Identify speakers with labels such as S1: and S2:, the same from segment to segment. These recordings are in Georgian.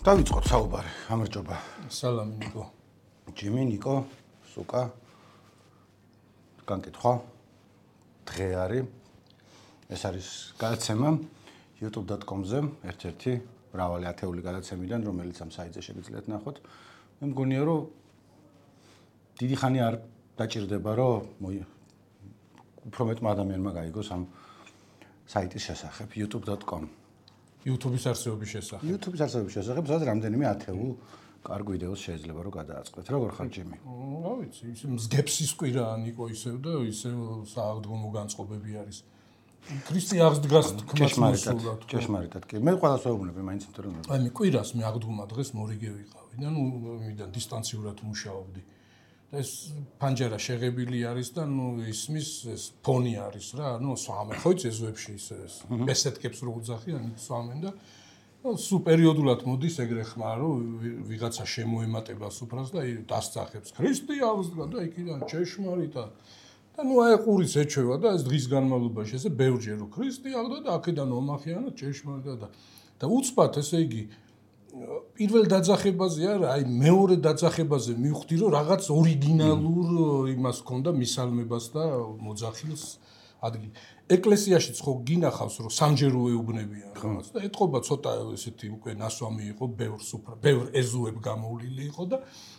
S1: დავიწყოთ საუბარი. გამარჯობა.
S2: სალამი ნიკო.
S1: ჯიმი, ნიკო, სუკა. განკითხვა. დღე არის. ეს არის გადაცემა youtube.com-ზე, ერთ-ერთი მრავალი ათეული გადაცემიდან, რომელიც ამ საიტზე შეგიძლიათ ნახოთ. მე მგონია, რომ დიდი ხანი არ დაჭირდება, რომ უფრო მეტმა ადამიანმა გაიგოს ამ საიტის შესახებ youtube.com.
S2: YouTube-ის არსებობის შესახებ.
S1: YouTube-ის არსებობის შესახებ, სადაც რამდენიმე ათეულ კარგ ვიდეოს შეიძლება რომ გადააწყდეთ. როგორ ხარ ჯიმი?
S2: რა ვიცი, ისე მსგებსის კვირაა ნიკო ისევ და ისევ სააღდგომო განწყობები არის. ქრისტე აღდგას თქმაც მოსულად.
S1: ჭეშმარიტად კი. მე ყველას ვეუბნები მაინც იმიტომ რომ
S2: აი მე კვირას მე აღდგომა დღეს მორიგე ვიყავი და მიდან დისტანციურად მუშაობდი. და ეს პანჯარა შეღებილი არის და ისმის ეს ფონი არის რა, სვამენ ხო იცი ეზოებში ისე ეს მესეთკებს რო უძახიან სვამენ და სუ პერიოდულად მოდის ეგრე ხმა რომ ვიღაცა შემოემატება სუფრას და დასწახებს ქრისტე აღსდგა და იქიდან ჭეშმარიტად და აი ყურიც ეჩვევა და ეს დღის განმავლობაში ესე ბევრჯერ რომ ქრისტე აღსდგა და აქედან ომახიანა ჭეშმარიტად და უცბად ესე იგი პირველ დაძახებაზე არა, აი მეორე დაძახებაზე მივხვდი რომ რაღაც ორიგინალურ იმას ჰქონდა მისალმებას და მოძახილს ადგილი. ეკლესიაშიც ხო გინახავს რომ სამჯერ უეუბნებიან რაღაც და ეთყობა ცოტა ესეთი უკვე ნასვამი იყო, ბევრ ეზოებ გამოვლილი იყო და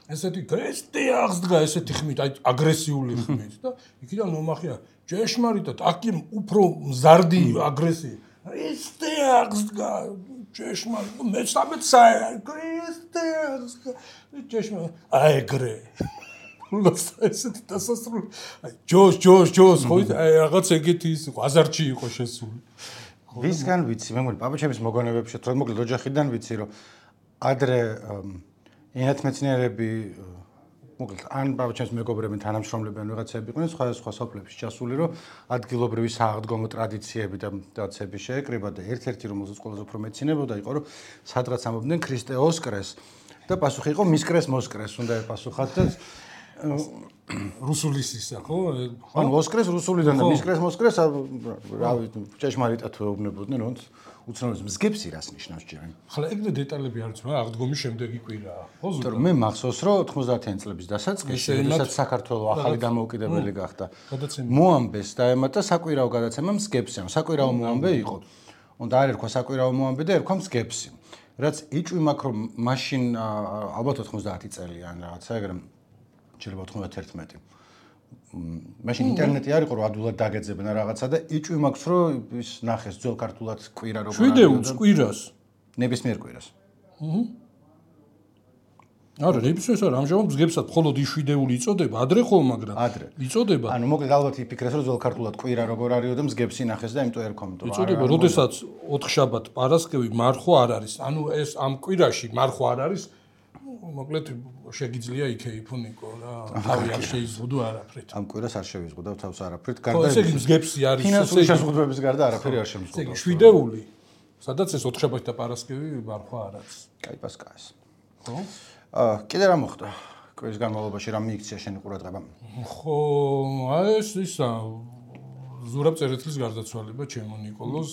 S2: ესეთი ქრისტე აღსდგა ესეთი ხმით, აი აგრესიული ხმით და იქიდან მომახია ჭეშმარიტად, აქ უფრო მზარდი აგრესია. ქრისტე აღსდგა ჭეშმარიტად, მეცამეტ ქრისტე აღსდგა ჭეშმარიტად, აი ეგრე. ესეთი დასასრული. აი ჯოს, ხო აი რაღაც ეგეთი ის იყო, აზარჩი იყო შესული.
S1: ვისგან ვიცი, მე მგონი პაპაჩემის მოგონებებში თქო, მოკლედ ოჯახიდან ვიცი, რომ ადრე ენათმეცნიერები მოკლედ ან პაპაჩემის მეგობრები თანამშრომლები ან ვიღაცები იყვნენ სხვა სოფლებში ჩასული, რომ ადგილობრივი სააღდგომო ტრადიციები და დაცები შეეკრიბა და ერთ-ერთი რომელზეც ყველაზე უფრო მეცინებოდა იყო, რომ სადღაც ამობდნენ ქრისტე ოსკრეს და პასუხი იყო მისკრეს მოსკრეს, უნდა ეპასუხათ და
S2: რუსულისისა ხო?
S1: ანუ ოსკრეს რუსულიდან და მისკრეს მოსკრეს რა ვიცი, ჭეშმარიტად ვეუბნებოდნენ, რომ უცნაურის მსგებსი რას ნიშნავს ჯერენ.
S2: ახლა ეგრე დეტალები არ ვიცი, მაგრამ აღდგომის შემდეგი კვირაა. ხო ზუსტად.
S1: მე მახსოვს, რომ 90-იან წლების დასაწყისში, როდესაც საქართველოს ახალი დამოუკიდებელი გახდა, მოამბეს დაემატა საკვირაო გადაცემა მსგებსი. საკვირაო მოამბე იყო. უნდა არ ერქვა საკვირაო მოამბე და ერქვა მსგებსი. რაც იჭვი მაქვს, რომ მაშინ ალბათ 90 წელი ან რაღაცა ეგრე შეიძლება 91. მაშინ ინტერნეტი არ იყო, რომ ადვილად დაგეძებნა რაღაცა და იჭვი მაქვს, რომ ის ნახეს ძველ ქართულად კვირა როგორ არის.
S2: შვიდეულს კვირას.
S1: ნებისმიერ კვირას.
S2: არა, ნებისმიერს არა, ამჟამად მსგებსად მხოლოდ იშვიდეული იწოდება, ადრე ხო, მაგრამ
S1: ადრე.
S2: იწოდება.
S1: ანუ მოკლედ ალბათ იფიქრეს, რომ ძველ ქართულად კვირა როგორ არისო და მსგებსი ნახეს და იმიტომ ერქვა.
S2: იწოდება, როდესაც ოთხშაბათ პარასკევი მარხვა არ არის. ანუ ეს ამ კვირაში მარხვა არ არის. მოკლედ შეგიძლია იქეიფო ნიკო რა. თავი არ შეიზღუდო არაფრით.
S1: ამ კვირას არ შევიზღუდავ თავს არაფრით.
S2: გარდა ესე იგი მსგებსი არის.
S1: ფინანსური შეზღუდვების გარდა არაფერი არ შემიზღუდავს.
S2: ესე იგი შვიდეული. სადაც ეს ოთხშაბათი და პარასკევი მარხვა არ არის.
S1: კაი პასკაეს.
S2: ხო?
S1: კიდე რა მოხდა? კვირის განმავლობაში რა მიიქცია შენი ყურადღება?
S2: ხო, აი ეს ისა ზურაბ წერეთლის გარდაცვალება ჩემო ნიკოლოზ.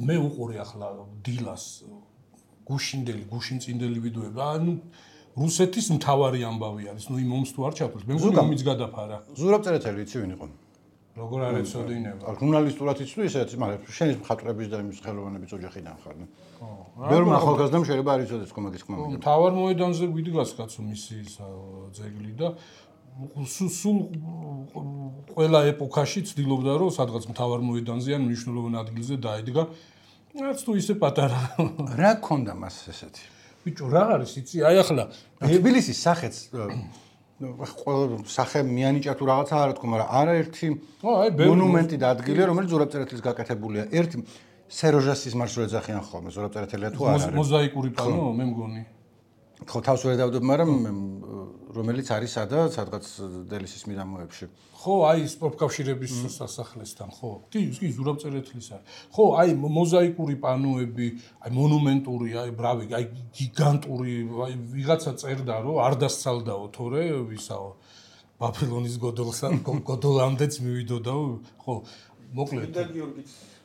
S2: მე უყურე ახლა დილას გუშინწინდელი ვიდეოები. ანუ რუსეთის მთავარი ამბავი არის. იმ ომს თუ არ ჩაფრს, მე მგონი ომიც გადაფარა.
S1: ზურაბ წერეთელი იცი ვინ იყო?
S2: როგორ არ ეცოდინება?
S1: ჟურნალისტურად იცი ისეთი, მაგრამ შენი მხატვრების და იმის ხელოვნების ოჯახიდან ხარ. ხო. ბევრმა ახალგაზრდამ შეიძლება არ იცოდეს კომაგის ხმა.
S2: მთავარ მოედანზე ვიდგას კაცო მისი ძეგლი და სულ ყველა ეპოქაში ცდილობდა რომ სადღაც მთავარ მოედანზე ან მნიშვნელოვან ადგილზე დაედგა. რაც თუ ისე პატარა.
S1: რა ქონდა მას ესეთი?
S2: ბიჭო, რა არის იცი? აი ახლა
S1: თბილისის სახეც ყველა სახე მიანიჭა თუ რაღაცა არ თქო, მაგრამ არაერთი მონუმენტი და ადგილი, რომელიც ზურაბ წერეთლის გაკეთებულია. ერთი სეროჟასის მარშრუტზე ეძახიან ხოლმე, ზურაბ წერეთელია თუ არ არის.
S2: მოზაიკური პანო, მე მგონი.
S1: ხო, თავს ვერ დავდებ, მაგრამ რომელიც არის სადღაც დელისის მიდამოებში.
S2: ხო, აი სპორტკავშირების სასახლესთან, ხო. კი, ზურაბ წერეთლის არის. ხო, აი მოზაიკური პანოები, აი მონუმენტური, აი ბრავი, აი გიგანტური, აი ვიღაცა წერდა, რომ არ დასცალდაო თორე ვისაო ბაბილონის გოდოლამდეც მივიდოდაო, ხო. მოკლედ.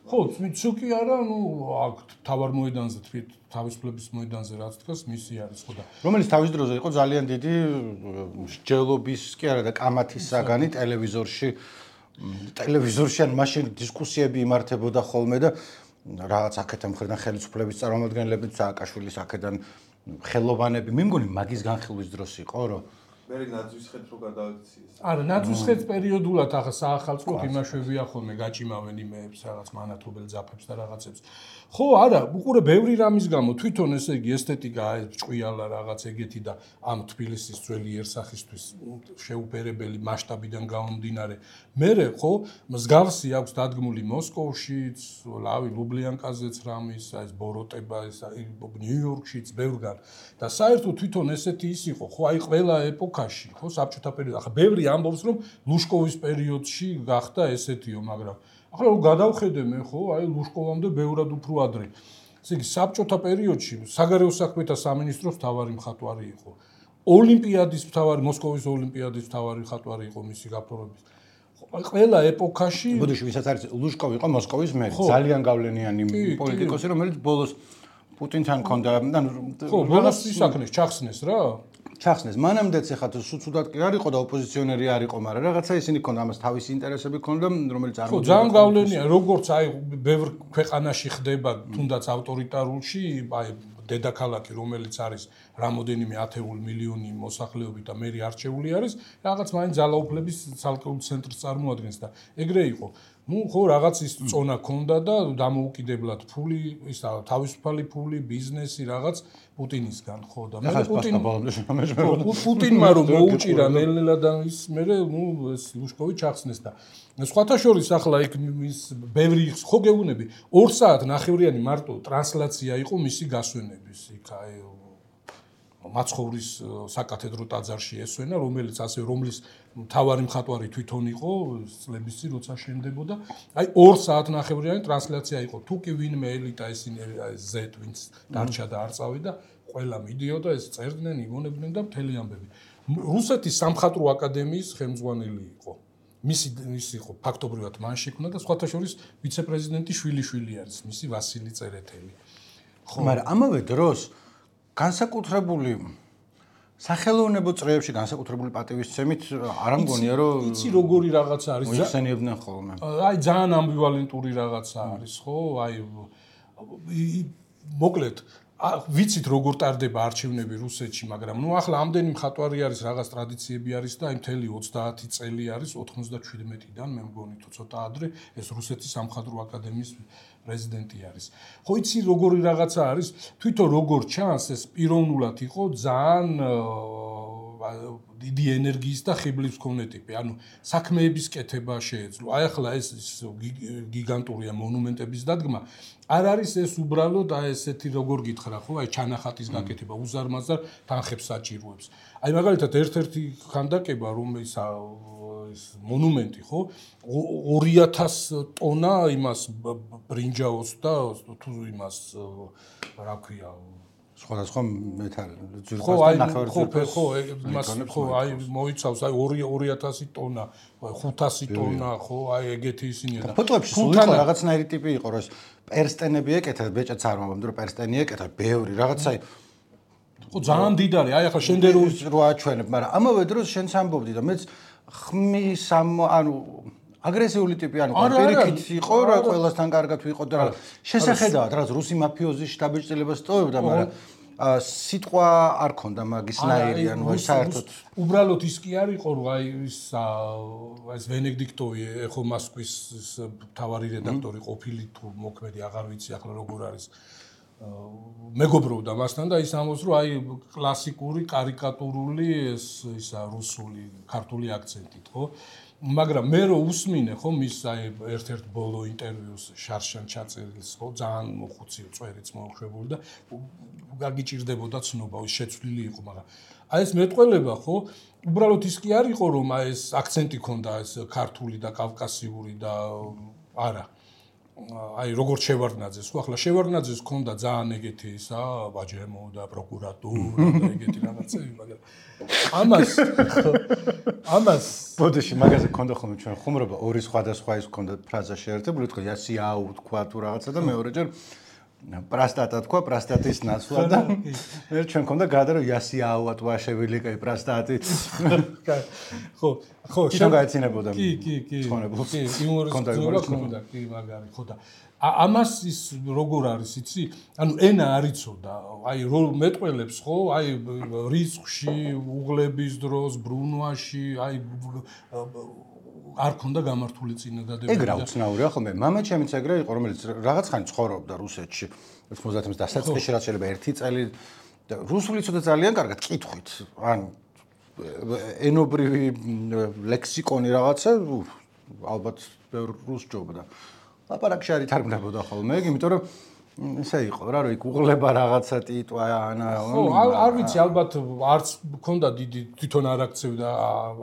S2: ხო, მიცუკი არა, აქ თავარ მოედანზე თვით თავისუფლების მოედანზე რაც დგას, მისი არის ხო და
S1: რომელიც თავის დროზე იყო ძალიან დიდი მსჯელობის კი არა და კამათის საგანი ტელევიზორში ან მაშინ დისკუსიები იმართებოდა ხოლმე და რაღაც აქედან მხრიდან ხელისუფლების წარმომადგენლები სააკაშვილის აქედან ხელოვანები მე მგონი მაგის განხილვის დროს იყო რომ
S3: მე ნაძვის ხეთ რო გადააქციეს.
S2: არა, ნაძვის ხეთ პერიოდულად ახლა საახალწლოდ იმაშვებია ხოლმე გაჭიმავენ იმეებს, რაღაც მანათობელ ძაფებს და რაღაცებს. ხო, არა, უყურე ბევრი რამის გამო თვითონ ესე იგი ესთეტიკა ეს ჭყვიალა რაღაც ეგეთი და ამ თბილისის ძველი იერსახისთვის შეუფერებელი მასშტაბიდან გამომდინარე. მერე ხო, მსგავსი აქვს დადგმული მოსკოვშიც, ლავი ლუბლიანკაზეც რამის, ეს ბოროტება, ეს ნიუ-იორკშიც ბევრგან და საერთოდ თვითონ ესეთი ის იყო, ხო, აი ყველა ეპოქაში, ხო, საბჭოთა პერიოდში. ახლა ბევრი ამბობს, რომ ლუშკოვის პერიოდში გახდა ესეთიო, მაგრამ ახლა რომ გადავხედე მე, ხო, აი ლუშკოვამდე ბევრად უფრო ადრე. ესე იგი, საბჭოთა პერიოდში საგარეო საქმეთა სამინისტროს მთავარი მხატვარი იყო. ოლიმპიადის მთავარი, მოსკოვის ოლიმპიადის მთავარი მხატვარი იყო მისი გაფორმების. ყველა ეპოქაში
S1: ბოდიში ვისაც არის ლუშკოვი იყო მოსკოვის მერი, ძალიან გავლენიანი პოლიტიკოსი, რომელიც ბოლოს პუტინთან ჰქონდა, ანუ
S2: ხო, ბოლოს ისაქნეს, ჩახსნეს რა.
S1: ჩახსნეს. მანამდეც ეხლა სუცუდად კი არ იყო და ოპოზიციონერი არ იყო, მაგრამ რაღაცა ისინი ჰქონდა ამას თავისი ინტერესები ჰქონდა, რომელიც არ
S2: ხო, ძალიან გავლენია, როგორც აი ბევრ ქვეყანაში ხდება, თუნდაც ავტორიტარულში, აი დედაქალაქი, რომელიც არის რამოდენიმე ათეული მილიონი მოსახლეობით და მერი არჩეული არის, რაღაც მაინც ძალაუფლების ცალკეულ ცენტრს წარმოადგენს და ეგრე იყო. ნუ ხო რაღაც ის წონა ქონდა და დამოუკიდებლად ფული, ის თავისუფალი ფული, ბიზნესი რაღაც პუტინისგან ხო და მე პუტინმა რომ მოუჭირა ნელ-ნელა და ის მე ნუ ეს ლუშკოვი ჩახსნეს და სხვათა შორის ახლა იქ ის ბევრი ხო გეუბნები 2 საათ ნახევრიანი მარტო ტრანსლაცია იყო მისი გასვენების იქ აი მაცხოვრის საკათედრო ტაძარში ესვენა რომელიც ასე რომლის მთავარი მხატვარი თვითონ იყო წლების წინ როცა შენდებოდა აი 2 საათ ნახევრიანი ტრანსლაცია იყო თუ კი ვინმე ელიტა ისინი ზეთ ვინც დარჩა და არ წავიდა ყველა მიდიოდა ეს წერდნენ იმონებდნენ და მთელი ამბები რუსეთის სამხატვრო აკადემიის ხელმძღვანელი იყო მისი იყო ფაქტობრივად მან შექმნა და სხვათა შორის ვიცე-პრეზიდენტი შვილი არის მისი ვასილი წერეთელი
S1: ხო მაგრამ ამავე დროს განსაკუთრებული სახელოვნებო წრეებში განსაკუთრებული პატივისცემით არ ამგონია რომ
S2: იცი როგორი რაღაცა არის
S1: მოიხსენიებდნენ ხოლმე
S2: აი ძალიან ამბივალენტური რაღაცა არის ხო აი მოკლედ ვიცით როგორ ტარდება არჩევნები რუსეთში მაგრამ ნუ ახლა ამდენი მხატვარი არის რაღაც ტრადიციები არის და აი მთელი 30 წელი არის 97-დან მე მგონი თუ ცოტა ადრე ეს რუსეთის სამხატვრო აკადემიის პრეზიდენტი არის. ხო იცი როგორი რაღაცა არის, თვითონ როგორ ჩანს ეს პიროვნულად იყო ძალიან დიდი ენერგიის და ხიბლის მქონე ტიპი. ანუ საქმეების კეთება შეეძლო. აი ახლა ეს გიგანტურია მონუმენტების დადგმა. არ არის ეს უბრალოდ აი ესეთი როგორ გითხრა ხო, აი ჩანახატის გაკეთება, უზარმაზარ თანხებს საჭიროებს. აი მაგალითად ერთ-ერთი ხანდაკება რომელიც ეს მონუმენტი ხო 2000 ტონა იმას ბრინჯაოს და თუ იმას რა ქვია
S1: სხვადასხვა მეტალი
S2: ძირფასი ნახევარწირფეს ხო იმას ხო აი მოიცავს აი 2000 ტონა 500 ტონა ხო აი ეგეთი ისინია
S1: და ფოტოებში სულ იყო რაღაცნაირი ტიპი იყო რომ ეს პერსტენები ეკეთა ბეჭედს არ მომამდე რომ პერსტენი ეკეთა ბევრი რაღაცა
S2: ხო ძალიან დიდარი აი ახლა შენდერული
S1: რო აჩვენებ მაგრამ ამავე დროს შენც ამბობდი და მეც ხმის ანუ აგრესიული ტიპი ანუ პირიქით იყო რა ყველასთან კარგად ვიყო და შესახედავად რაც რუსი მაფიოზის შტაბ-ჭრილებას ტოვებდა მაგრამ სიტყვა არ ქონდა მაგისნაირი ანუ საერთოდ
S2: უბრალოდ ის კი არ იყო რომ აი ეს ვენედიქტოვი ეხო მოსკვის მთავარი რედაქტორი ყოფილი თუ მოქმედი აღარ ვიცი ახლა როგორ არის მეგობრობდა მასთან და ის ამბობს რომ აი კლასიკური კარიკატურული ისა რუსული ქართული აქცენტით ხო მაგრამ მე რო უსმინე ხო მის აი ერთ-ერთ ბოლო ინტერვიუს შარშან ჩაწერილს ხო ძალიან მოხუცი წვერიც მოუშვებული და გაგიჭირდებოდა ცნობა ის შეცვლილი იყო მაგრამ აი ეს მეტყველება ხო უბრალოდ ის კი არ იყო რომ აი ეს აქცენტი ქონდა ეს ქართული და კავკასიური და არა აი როგორც შევარდნაძეს, ხო ახლა შევარდნაძეს ჰქონდა ძალიან ეგეთი ისა, ვაჯემო და პროკურატურა და ეგეთი რაღაცები, მაგრამ ამას
S1: ბოდიში მაგაზე ჰქონდა ხოლმე ჩვენ ხუმრობა ორი სხვადასხვა ის ჰქონდა ფრაზა შეერთებული, თქო იასიაუ თქვა თუ რაღაცა და მეორეჯერ პრასტატა თქვა, პრასტატის ნაცვლა და მე ჩვენ ჰქონდა გადარო იასიაუა თქვა შევილიკე პრასტატი.
S2: ხო,
S1: შენ გაეცინებოდა.
S2: კი. იმურის ჰქონდა, კი, მაგარი, ხო და ამას ის როგორ არის, იცი? ანუ ენა არიცოდა, აი მეტყველებს ხო, აი რიცხვში, უღლების დროს, ბრუნვაში, აი არ ქონდა გამართული წინადადებები.
S1: ეგ რა უცნაურია ხოლმე. მამა ჩემიც ეგრე იყო, რომელიც რაღაც ხანი ცხოვრობდა რუსეთში. 90-ს დასაწყისში რაც შეიძლება 1 წელი და რუსული ცოტა ძალიან კარგად კითხვით. ან ენობრივი ლექსიკონი რაღაცა ალბათ რუს ჯობდა. ლაპარაკში არ ითარგმნებოდა ხოლმე, იმიტომ რომ ესე იყო რა, რომ იქ უღლება რაღაცა ტიტვა ანა.
S2: ხო, არ ვიცი, ალბათ არც მქონდა დიდი თვითონ არ აქცევდა,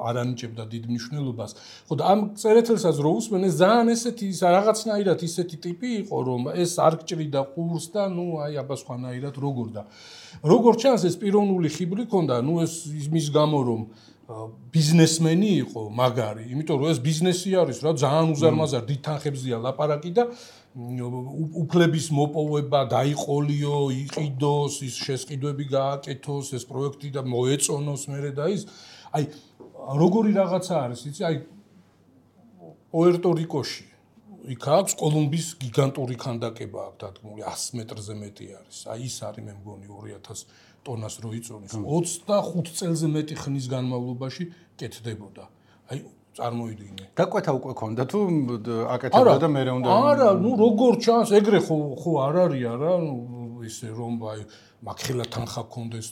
S2: არ ანიჭებდა დიდ მნიშვნელობას. ხო და ამ წერეთელსაც რო უსმენ, ეს ძალიან ესეთი რაღაცნაირად ისეთი ტიპი იყო, რომ ეს არ გჭრიდა ყურს და ნუ აი აბა სხვანაირად როგორ და როგორ ჩანს ეს პიროვნული ხიბლი ქონდა, ნუ ეს იმის გამო რომ ბიზნესმენი იყო მაგარი, იმიტომ რომ ეს ბიზნესი არის რა, ძალიან უზარმაზარ დიდ თანხებზია ლაპარაკი და უფლების მოპოვება, დაიყოლიო, იყიდოს, ის შესყიდვები გააკეთოს, ეს პროექტი და მოეწონოს მერე და ის აი როგორი რაღაცა არის, იცი, აი პუერტო-რიკოში იქ აქვს კოლუმბის გიგანტური ქანდაკება აქვს დადგმული 100 მეტრზე მეტი არის. აი ის არის მე მგონი 2000 ტონას რო იწონის 25 წელზე მეტი ხნის განმავლობაში კეთდებოდა. აი წარმოიდგინე.
S1: გაკვეთა უკვე ქონდა თუ აკეთებდა და მერე უნდა
S2: არა, ნუ როგორ ჩანს, ეგრე ხო არ არის არა, ისე რომ აი მაგხელა თანხა ქონდეს.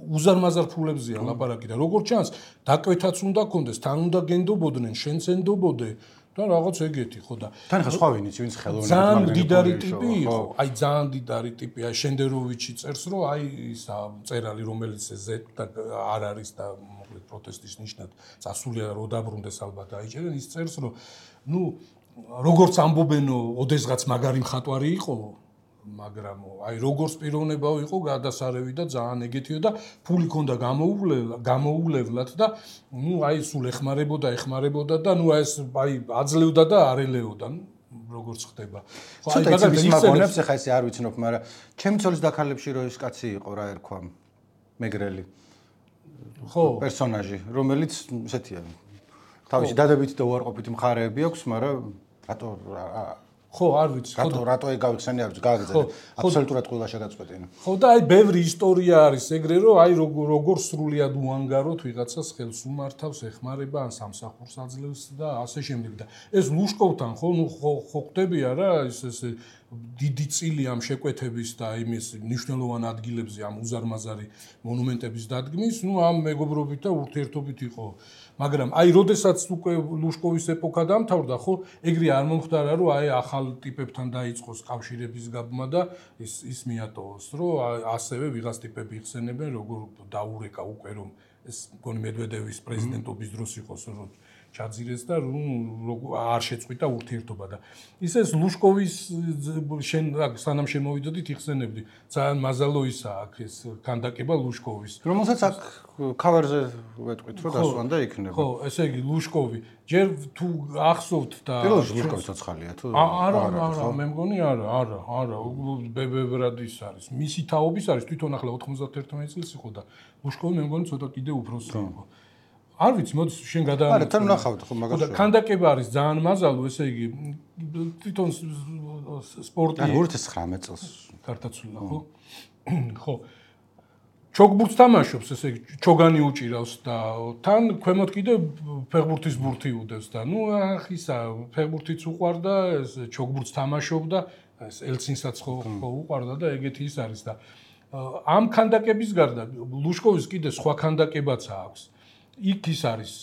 S2: უზარმაზარ ფულებზია ლაპარაკი და როგორ ჩანს, დაკვეთაც უნდა ქონდეს, თან უნდა გენდობოდნენ, შენც ენდობოდე და რაღაც ეგეთი ხო და
S1: თან ხა სხვა ვინიც ვინც ხელოვნურად
S2: ძალიან დიდარი ტიპი იყო, აი ძალიან დიდარი ტიპი, აი შენდეროვიჩი წერს რომ აი ის წერალი რომელიც ზედა არ არის და მოკლედ პროტესტის ნიშნად წასულია რო დაბრუნდეს ალბათ აიჭერენ ის წერს რომ ნუ როგორც ამბობენო ოდესღაც მაგარი მხატვარი იყო მაგრამ აი როგორც პიროვნება იყო გადასარევი და ძალიან ეგეთიო და ფული ქონდა გამოუვლებლად და ნუ აი სულ ეხმარებოდა და ნუ ეს აი აძლევდა და არ ელეოდა როგორც ხდება
S1: ხო აი მაგალითად მაგონებს ახლა ესე არ ვიცნობ მაგრამ ჩემი ცოლის დაქალებში რო ეს კაცი იყო რა ერქვა მეგრელი
S2: ხო
S1: პერსონაჟი რომელიც ესეთია თავისი დადებითი და უარყოფითი მხარეები აქვს მაგრამ რატო
S2: ხო არ ვიცი
S1: რატო ეგავიხსენე არ ვიცი გააგრძელე აბსოლუტურად ყველა შეგაწყვეტინა
S2: ხო და აი ბევრი ისტორია არის ეგრე რომ აი როგორ სრულიად უანგაროთ ვიღაცას ხელს უმართავს ეხმარება ან სამსახურს აძლევს და ასე შემდეგ და ეს ლუშკოვთან ხო ნუ ხო ხდებია რა ეს დიდი წილი ამ შეკვეთების და იმის მნიშვნელოვან ადგილებზე ამ უზარმაზარი მონუმენტების დადგმის ნუ ამ მეგობრობით და ურთიერთობით იყო მაგრამ აი როდესაც უკვე ლუშკოვის ეპოქა დამთავრდა ხო ეგრე არ მომხდარა რომ აი ახალ ტიპებთან დაიწყოს კავშირების გაბმა და ის მიატოვოს რომ ასევე ვიღაც ტიპები იხსენებენ როგორ დაურეკა უკვე რომ ეს მგონი მედვედევის პრეზიდენტობის დროს იყოს რომ ჩაძირეს და არ შეწყვიტა ურთიერთობა და ისე ლუშკოვის შენ სანამ შემოვიდოდით იხსენებდი ძალიან მაზალო ისა აქ ეს ქანდაკება ლუშკოვის
S1: რომელსაც აქ ქავერზე ვეტყვით რომ დასვან და იქნება
S2: ხო ესე იგი ლუშკოვი ჯერ თუ ახსოვთ და
S1: პირველში ლუშკოვი ცოცხალია თუ
S2: არა მე მგონი არა ბებრად ის არის მისი თაობის არის თვითონ ახლა 91 წელს იყო და ლუშკოვი მე მგონი ცოტა კიდე უფროსი იყო არ ვიცი, მოდი შენ გადაამოწმე.
S1: არა, თან ნახავთ ხო მაგას.
S2: და ქანდაკება არის ძალიან მაზალო, ესე იგი თვითონ სპორტი
S1: 2019 წელს
S2: ქართაცვლა, ხო? ხო. ჩოგბურთს თამაშობს, ესე იგი ჩოგანი უჭირავს და თან ქვემოთ კიდე ფეხბურთის ბურთი უდევს და ნუ ახ ისა ფეხბურთიც უყვარდა, ეს ჩოგბურთს თამაშობდა, ეს ელცინსაც ხო უყვარდა და ეგეთი ის არის და ამ ქანდაკების გარდა ლუშკოვის კიდე სხვა ქანდაკებაც აქვს. იქ ის არის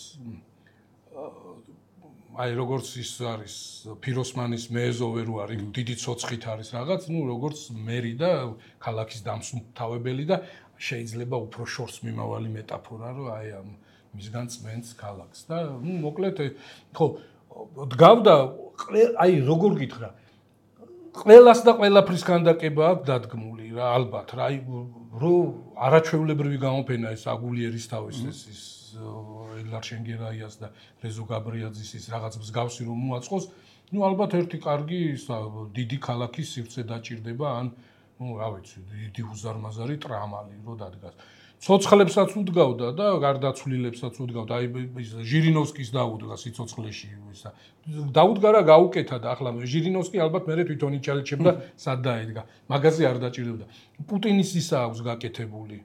S2: აი როგორც ის არის ფიროსმანის მეეზოვე რო არის დიდი ცოცხით არის რაღაც ნუ როგორც მერი და ქალაქის დამსუმთავებელი და შეიძლება უფრო შორს მიმავალი მეტაფორა რომ აი ამ მისგან წმენს ქალაქს და ნუ მოკლედ ხო დგავდა აი როგორ გითხრა ყველას და ყველაფრის ქანდაკება აქვს დადგმული რა ალბათ რა აი რო არაჩვეულებრივი გამოფენა ეს აგულიერის თავის ეს ელარ შენგერაიას და რეზო გაბრიაძის ის რაღაც მსგავსი რომ მოაწყოს ნუ ალბათ ერთი კარგი დიდი ქალაქის სივრცე დაჭირდება ან ნუ რა ვიცი დიდი უზარმაზარი ტრამალი რო დადგას ცოცხლებსაც უდგავდა და გარდაცვლილებსაც უდგავდა აი ჟირინოვსკის დაუდგა სიცოცხლეში ისა დაუდგა რა გაუკეთა და ახლა ჟირინოვსკი ალბათ მერე თვითონ იჩალიჩებდა სად დაედგა მაგაზე არ დაჭირდებოდა პუტინის ისა აქვს გაკეთებული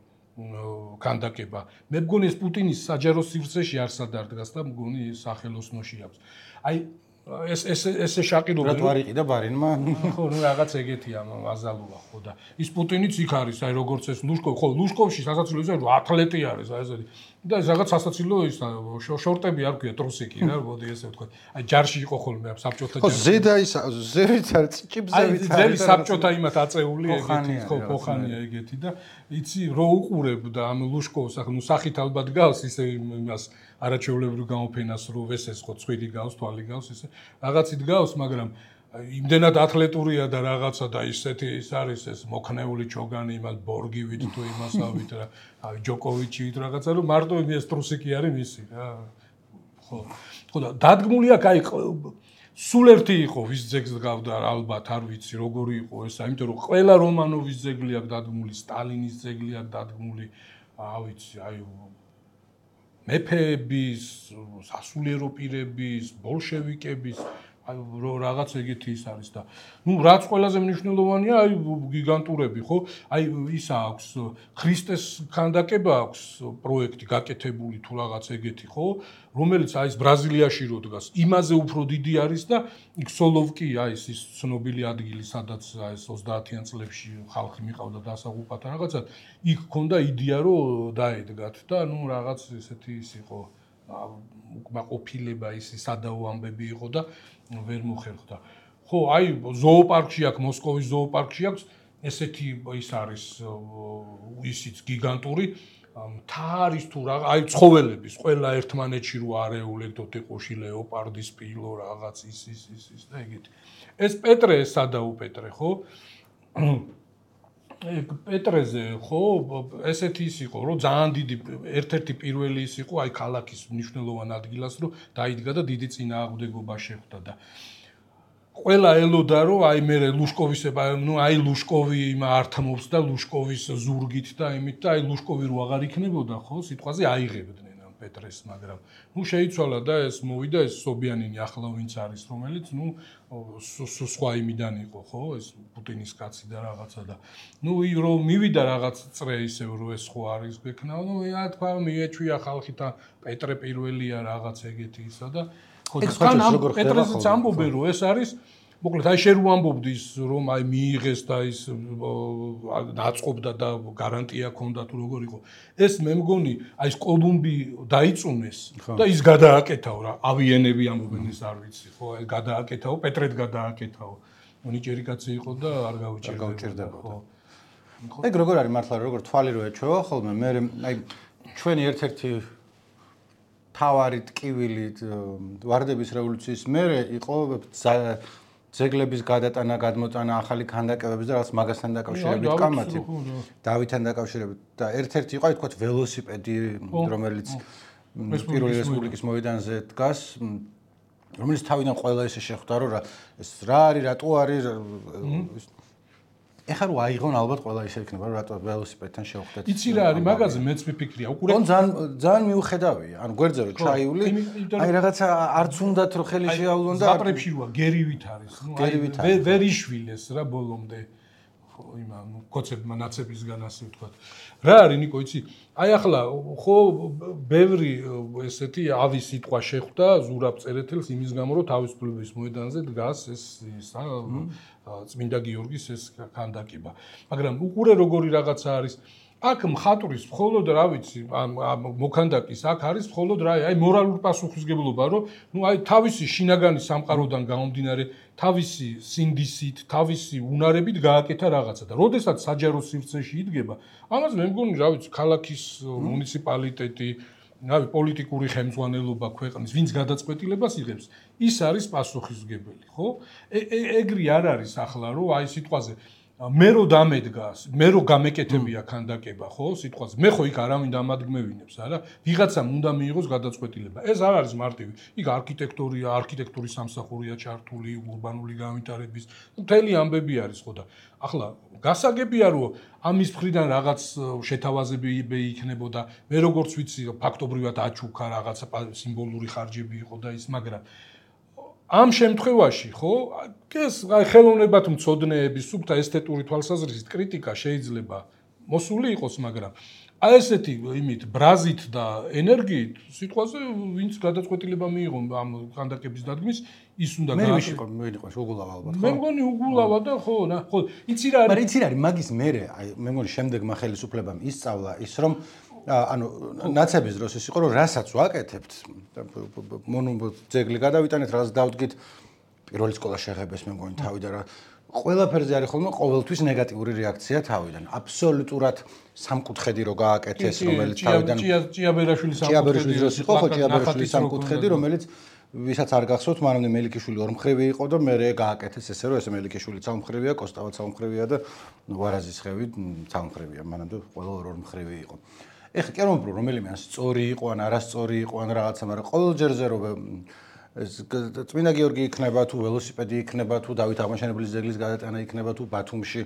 S2: ქანდაკება მე მგონი ეს პუტინის საჯარო სივრცეში არსად დადგას და მგონი სახელოსნოში აქვს აი ეს შაყიდობა
S1: რა არიყიდა ბარინმა
S2: ხო ნუ რაღაც ეგეთია აზალუა ხო და ის პუტინიც იქ არის აი როგორც ეს ლუშკოვი ხო ლუშკოვში სასაცილოზე ათლეტი არის აი ესეთი და ეს რაღაც სასაცილო ის შორტები არ ქვია ტრუსიკი რა მოდი ესე ვთქვა აი ჯარში იყო ხოლმე საბჭოთა ჯარში ხო
S1: ზედა ის ზევით არის ჭიბზევით არის
S2: ძელი საბჭოთა იმათ აწეული ეგეთი ხო ხოხანია ეგეთი და იცი რო უყურებ და ამ ლუშკოვს ახლა ნუ სახით ალბათ გავს ისე იმას არაჩვეულებრივ გამოფენას რო ვესეს ხო ცხვირი გავს თვალი გავს ესე რაღაცით გავს მაგრამ იმდენად ათლეტურია და რაღაცა და ისეთი ის არის ეს მოქნეული ჩოგანი იმას ბორგივით თუ იმასავით რა აი ჯოკოვიჩივით რაღაცა რომ მარტო ეს ტრუსიკი არის მისი რა ხო და დადგმული აქვს აი სულ ერთი იყო ვის ძეგლს გავდა ალბათ არ ვიცი როგორი იყო ეს იმიტომ რომ ყველა რომანოვის ძეგლი აქვს დადგმული სტალინის ძეგლი აქვს დადგმული ავიცი აი მეფეების სასულიერო პირების ბოლშევიკების აი რაღაც ეგეთი ის არის და ნუ რაც ყველაზე მნიშვნელოვანია აი გიგანტურები ხო აი ის აქვს ქრისტეს ქანდაკება აქვს პროექტი გაკეთებული თუ რაღაც ეგეთი ხო რომელიც აი ეს ბრაზილიაში რო დგას იმაზე უფრო დიდი არის და იქ სოლოვკია ის ცნობილი ადგილი სადაც აი ეს 30-იან წლებში ხალხი მიყავდა დასაღუპად რაღაცა იქ ქონდა იდეა რომ დაედგათ და ნუ რაღაც ესეთი ის იყო უკმაყოფილება ის სადაო ამბები იყო და ვერ მოხერხდა. ხო, აი ზოოპარკში აქვს, მოსკოვის ზოოპარკში აქვს ესეთი ის არის ისიც გიგანტური თარის თუ რა, აი ცხოველების, ყველა ერთმანეთში რო არეულებდოთ ეყოში ლეოპარდი, სპილო რაღაც ის და ეგეთი. ეს პეტრე სადაო პეტრე, ხო? პეტრეზე ხო ესეთი ის იყო რომ ძალიან დიდი ერთ-ერთი პირველი ის იყო აი ქალაქის მნიშვნელოვან ადგილას რომ დაიდგა და დიდი წინააღმდეგობა შეხვდა და ყველა ელოდა რომ აი მე ლუშკოვის ნუ აი ლუშკოვი იმ ართმობს და ლუშკოვის ზურგით და იმით და აი ლუშკოვი რო აღარ იქნებოდა ხო სიტყვაზე აიღებდნენ ამ პეტრეს მაგრამ ნუ შეიცვალა და ეს მოვიდა ეს სობიანინი ახლა ვინც არის რომელიც ნუ სხვა იმიდან იყო ხო ეს პუტინის კაცი და რაღაცა და ნუ რომ მივიდა რაღაც წრე ისევ რომ ეს ხო არის გექნა ნუ რა თქვა მიეჩვია ხალხი და პეტრე პირველია რაღაც ეგეთი ისა და ხო თან ამ პეტრეზეც ამბობენ რომ ეს არის მოკლედ აი შენ რო ამბობდი რომ აი მიიღეს და ის დაწყობდა და გარანტია ქონდა თუ როგორ იყო ეს მე მგონი აი ეს კოლუმბი დაიწუნეს და ის გადააკეთაო რა ავიენები ამბობენ ეს არ ვიცი ხო აი გადააკეთაო პეტრეთ გადააკეთაო მონიჭერი კაცი იყო და არ გავუჭირდება ხო
S1: ეგ როგორ არის მართლა როგორ თვალი რო ეჩვევა ხოლმე მე აი ჩვენი ერთ-ერთი თავარი ტკივილი ვარდების რევოლუციის მერე იყო ძეგლების გადატანა, გადმოწანა, ახალი ქანდაკებების და რაღაც მაგასთან დაკავშირებით კამათი. დავითთან დაკავშირებით და ერთ-ერთი იყო, თქვათ, ველოსიპედი, რომელიც პირველი რესპუბლიკის მოედანზე დგას, რომელიც თავიდან ყველა ესე შეხვდა, რომ ეს რა არის, რატო არის ეხლა რო აიღონ ალბათ ყველა ისე იქნება რომ რატო ველოსიპედთან შევხვდეთ.
S2: იცი რა არის მაგაზე მეც მიფიქრია.
S1: უკურე ძალიან მიუხედავია. ანუ გვერდზე რო ჩაიული, აი რაღაცა არც უნდათ რო ხელი შეავლონ და
S2: ზატრებში როა გერივით არის. ნუ აი ვერ იშვილეს რა ბოლომდე. იმა კოცებმა ნაცებისგან ასე ვთქვათ. რა არის ნიკო იცი? აი ახლა ხო ბევრი ესეთი ავის სიტყვა შეხვდა ზურაბ წერეთელს იმის გამო რომ თავისუფლების მოედანზე დგას ეს წმინდა გიორგის ეს ქანდაკება. მაგრამ უყურე როგორი რაღაცა არის აქ მხატვრის მხოლოდ რა ვიცი მოქანდაკის აქ არის მხოლოდ რა აი მორალური პასუხისგებლობა რომ ნუ აი თავისი შინაგანი სამყაროდან გამომდინარე თავისი სინდისით თავისი უნარებით გააკეთა რაღაცა და როდესაც საჯარო სივრცეში იდგება ამას მე მგონი რა ვიცი ქალაქის მუნიციპალიტეტი რავი, პოლიტიკური ხელმძღვანელობა ქვეყნის, ვინც გადაწყვეტილებას იღებს, ის არის პასუხისმგებელი, ხო? ეგრე არ არის ახლა, რომ აი სიტყვაზე მე რო დამედგას, მე რო გამეკეთებია ქანდაკება, ხო, სიტყვაზე. მე ხო იქ არავინ დამადგმევინებს, არა? ვიღაცამ უნდა მიიღოს გადაწყვეტილება. ეს არ არის მარტივი. იქ არქიტექტურის სამსახურია ჩართული, ურბანული განვითარების, მთელი ამბები არის, ხო და ახლა გასაგებია, რომ ამის მხრიდან რაღაც შეთავაზები იქნებოდა. მე როგორც ვიცი, ფაქტობრივად აჩუქა რაღაცა სიმბოლური ხარჯები იყო და ის, მაგრამ ამ შემთხვევაში, ხო, ეს აი ხელოვნებად მცოდნეების სუფთა ესთეტური თვალსაზრისით კრიტიკა შეიძლება მოსული იყოს, მაგრამ აი ესეთი იმით ბრაზით და ენერგიით სიტყვაზე ვინც გადაწყვეტილება მიიღო ამ ქანდაკების დადგმის, ის უნდა
S1: მე ვიყო უგულავა ალბათ, ხო?
S2: მე მგონი უგულავა და ხო, იცი რა არის?
S1: მაგრამ იცი რა არის, მაგის მერე, აი მე მგონი შემდეგმა ხელისუფლებამ ისწავლა ის, რომ ანუ ნაცების დროს ის იყო, რომ რასაც ვაკეთებთ, ძეგლი გადავიტანეთ, რაღაც დავდგით პირველი სკოლა შეღებეს, მე მგონი თავიდან რა ყველაფერზე არის ხოლმე ყოველთვის ნეგატიური რეაქცია თავიდან. აბსოლუტურად სამკუთხედი რო გააკეთეს, რომელიც თავიდან ჭიაბერაშვილის დროს იყო, ხო, ჭიაბერაშვილის სამკუთხედი, რომელიც ვისაც არ გახსოვთ, მანამდე მელიქიშვილი ორმხრივი იყო და მე გააკეთეს ესე, რომ ესე მელიქიშვილი სამმხრივია, კოსტავა სამმხრივია და ვარაზისხევი სამმხრივია, მანამდე ყველა ორმხრივი იყო. ეხლა კი არ მომბრო რომელიმე ან სწორი იყო ან არასწორი იყო ან რაღაცა, მაგრამ ყოველ ჯერზე რომ ეს წმინდა გიორგი იქნება თუ ველოსიპედი იქნება თუ დავით აღმაშენებლის ძეგლის გადატანა იქნება თუ ბათუმში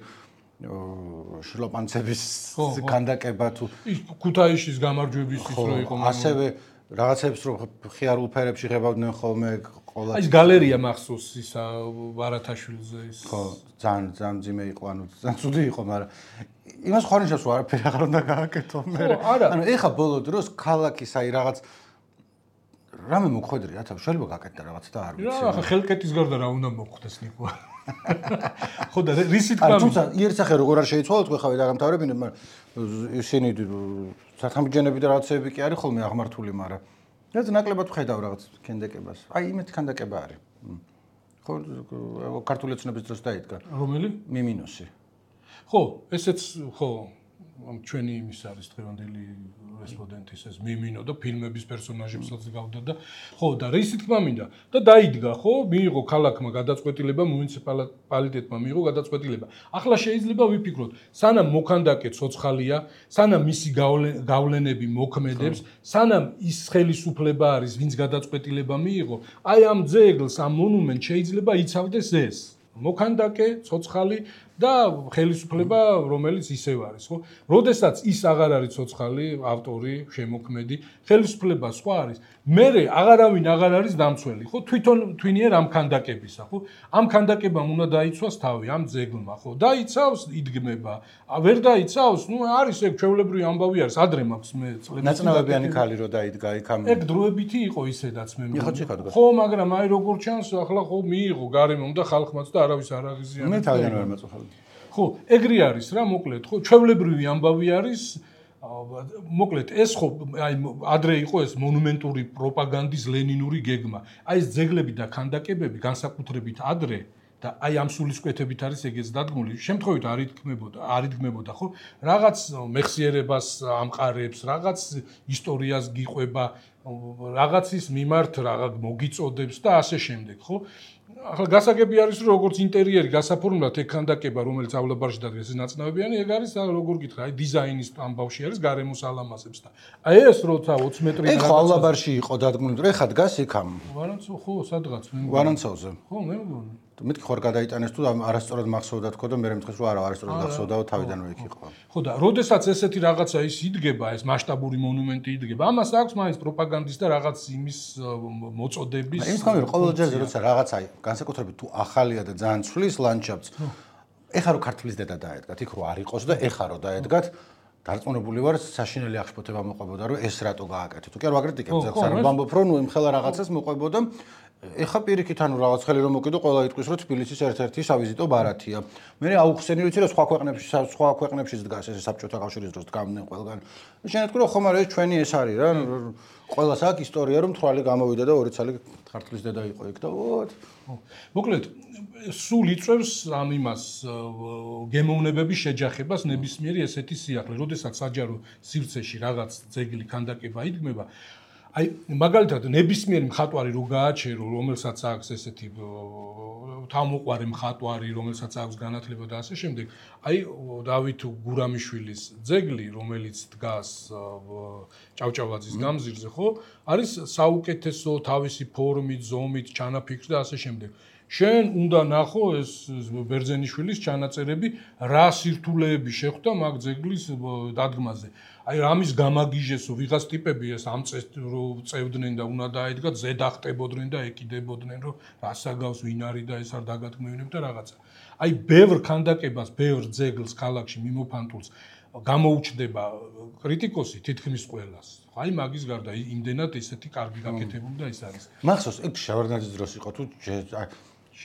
S1: შილოპანცების ქანდაკება თუ
S2: ქუთაისის გამარჯვების ის რო იყო
S1: ასევე რაღაცებს რო ხიარულ ფერებში ღებავდნენ ხოლმე
S2: ყველა აი ეს გალერეა მახსოვს ის ვარათაშვილზე ის
S1: ხო ძალიან ძიმე იყო ანუ ძალიან ცუდი იყო მაგრამ იმას ხარნიშნავს რომ არაფერი აღარ უნდა გააკეთო მე ანუ ეხა ბოლო დროს ქალაქის აი რაღაც რამე მოხვედრი რა თავ შეიძლება გააკეთდა რაღაც და არ ვიცი
S2: რა ახლა ხელკეთის გარდა რა უნდა მოხდეს ნიკო ხო და რისი თქვა
S1: თუმცა იერსახე როგორ არ შეიცვალოთ ხო ხავე დაგამთავრებინებ მაგრამ ისინი საფრთხემიჯენები და რაღაცები კი არის ხოლმე აღმართული მაგრამ რაც ნაკლებად ხედავ რაღაც ქანდაკებას აი იმეთი ქანდაკება არის ხო ქართული ოცნების დროს დაიდგა
S2: რომელი
S1: მიმინოსი
S2: ხო ესეც ხო ჩვენი იმის არის დღევანდელი რესპონდენტის ეს მიმინო და ფილმების პერსონაჟებსაც გავდა და ხო და რისი თქმა მინდა და დაიდგა ხო მიიღო ქალაქმა გადაწყვეტილება მუნიციპალიტეტმა მიიღო გადაწყვეტილება ახლა შეიძლება ვიფიქროთ სანამ მოქანდაკე ცოცხალია სანამ მისი გავლენები მოქმედებს სანამ ის ხელისუფლება არის ვინც გადაწყვეტილება მიიღო აი ამ ძეგლს ამ მონუმენტს შეიძლება იცავდეს ეს მოქანდაკე ცოცხალი და ხელისუფლება რომელიც ისევ არის ხო? როდესაც ის აღარ არის ცოცხალი, ავტორი, შემოქმედი, ხელისუფლება სხვა არის. მერე აღარავინ აღარ არის დამცველი, ხო? თვითონ თვინიერ ამ ქანდაკებისა, ხო? ამ ქანდაკებამ უნდა დაიცვას თავი ამ ძეგლმა, ხო? დაიცავს, იდგმება. ვერ დაიცავს, ნუ არის ეგ ჩვეულებრივი ამბავი არის, ადრე მაქვს მე წლები.
S1: ნაცნავებიანი ქალი რო დაიდგა იქ ამ
S2: ეგ დროებითი იყო ისედაც მე მგონი. ხო, მაგრამ აი როგორ ჩანს, ახლა ხო მიიღო გარემომ და ხალხმაც და არავის არ აღიზიანებს.
S1: მე თავიდან ვერ მაწუხავდი.
S2: ხო, ეგრე არის რა, მოკლედ, ხო, ჩვეულებრივი ამბავი არის. მოკლედ, ეს ხო, აი ადრე იყო ეს მონუმენტური პროპაგანდის ლენინური გეგმა. აი ეს ძეგლები და ქანდაკებები განსაკუთრებით ადრე და აი ამ სულისკვეთებით არის ეგეც დადგმული. შემთხვევით არ იდგმებოდა, ხო? რაღაც მეხსიერებას ამყარებს, რაღაც ისტორიას გიყვება, რაღაცის მიმართ რაღაც მოგიწოდებს და ასე შემდეგ, ხო? ახლა გასაგები არის რომ როგორც ინტერიერი გასაფორმებლად ეგ ქანდაკება რომელიც ავლაბარში დადგეს ეს ნაცნავებიანი ეგ არის როგორ გითხრა აი დიზაინის ამბავში არის გარემოს ალამაზებს და აი ეს როცა 20 მეტრი
S1: ეგ ხო ავლაბარში იყო დადგმული რომ ეხა დგას იქ ამ
S2: ვარანცო ხო სადღაც მე
S1: ვარანცოვზე
S2: ხო მე მგონი
S1: მეთქი ხარ გადაიტანეს თუ არასწორად მახსოვდა თქო და მე მეთქეს რომ არა არასწორად გახსოვდაო თავიდანვე იქ იყო
S2: ხო და როდესაც ესეთი რაღაცა ის იდგება ეს მასშტაბური მონუმენტი იდგება ამას აქვს მაინც პროპაგანდის და რაღაც იმის მოწოდების
S1: იმის გამო რომ ყოველ ჯერზე როცა რაღაცა განსაკუთრებით თუ ახალია და ძალიან ცვლის ლანდშაფტს ეხა რო ქართლის დედა დაედგათ იქ რო არ იყოს და ეხა რო დაედგათ დარწმუნებული ვარ საშინელი აღშფოთება მოყვებოდა რომ ეს რატო გააკეთე თუ კი არ ვაკრიტიკებ ზოგს არ ვამბობ რომ ნუ იმხელა რაღაცას მოყვებოდა ეხა პირიქით ანუ რაღაც ხელი რომ მოკიდო ყველა იტყვის რომ თბილისის ერთ-ერთი სავიზიტო ბარათია მე აუხსენი ვიცი რომ სხვა ქვეყნებშიც დგას ეს საბჭოთა კავშირის დროს დგამდნენ ყველგან შენეთქვი რომ ხომ არა ეს ჩვენი ეს არის რა ყველას აქვს ისტორია რომ თვალი გამოვიდა და ორი ცალი ქართლის დედა იყო იქ და ვოთ
S2: მოკლედ, სულ იწევს ამ იმას გემოვნებების შეჯახებას ნებისმიერი ესეთი სიახლე, როდესაც საჯარო სივრცეში რაღაც ძეგლი ქანდაკება იდგმება. აი, მაგალითად, ნებისმიერი მხატვარი რო გააჩერო, რომელსაც აქვს ესეთი თავმოყვარე მხატვარი, რომელსაც აქვს განათლება და ასე შემდეგ, აი, დავით გურამიშვილის ძეგლი, რომელიც დგას ჭავჭავაძის გამზირზე, ხო, არის საუკეთესო თავისი ფორმით, ზომით, ჩანაფიქრით და ასე შემდეგ. შენ უნდა ნახო ეს ბერძენიშვილის ჩანაწერები, რა სირთულეები შეხვდა მაგ ძეგლის დადგმაზე. აი რამის გამაგიჟესო ვიღაც ტიპები ეს ამ წეს რო წევდნენ და უნდა დაედგათ, ზედახტებოდნენ და ეკიდებოდნენ, რომ რასაგავს ვინ არის და ეს არ დაგათქმევინებ და რაღაცა. აი ბევრ ქანდაკებას, ბევრ ძეგლს ქალაქში მიმოფანტულს გამოუჩნდება კრიტიკოსი თითქმის ყველას. აი მაგის გარდა იმდენად ესეთი კარგი გაკეთებული და ის არის.
S1: მახსოვს, ეგ შევარდნაძის დროს იყო თუ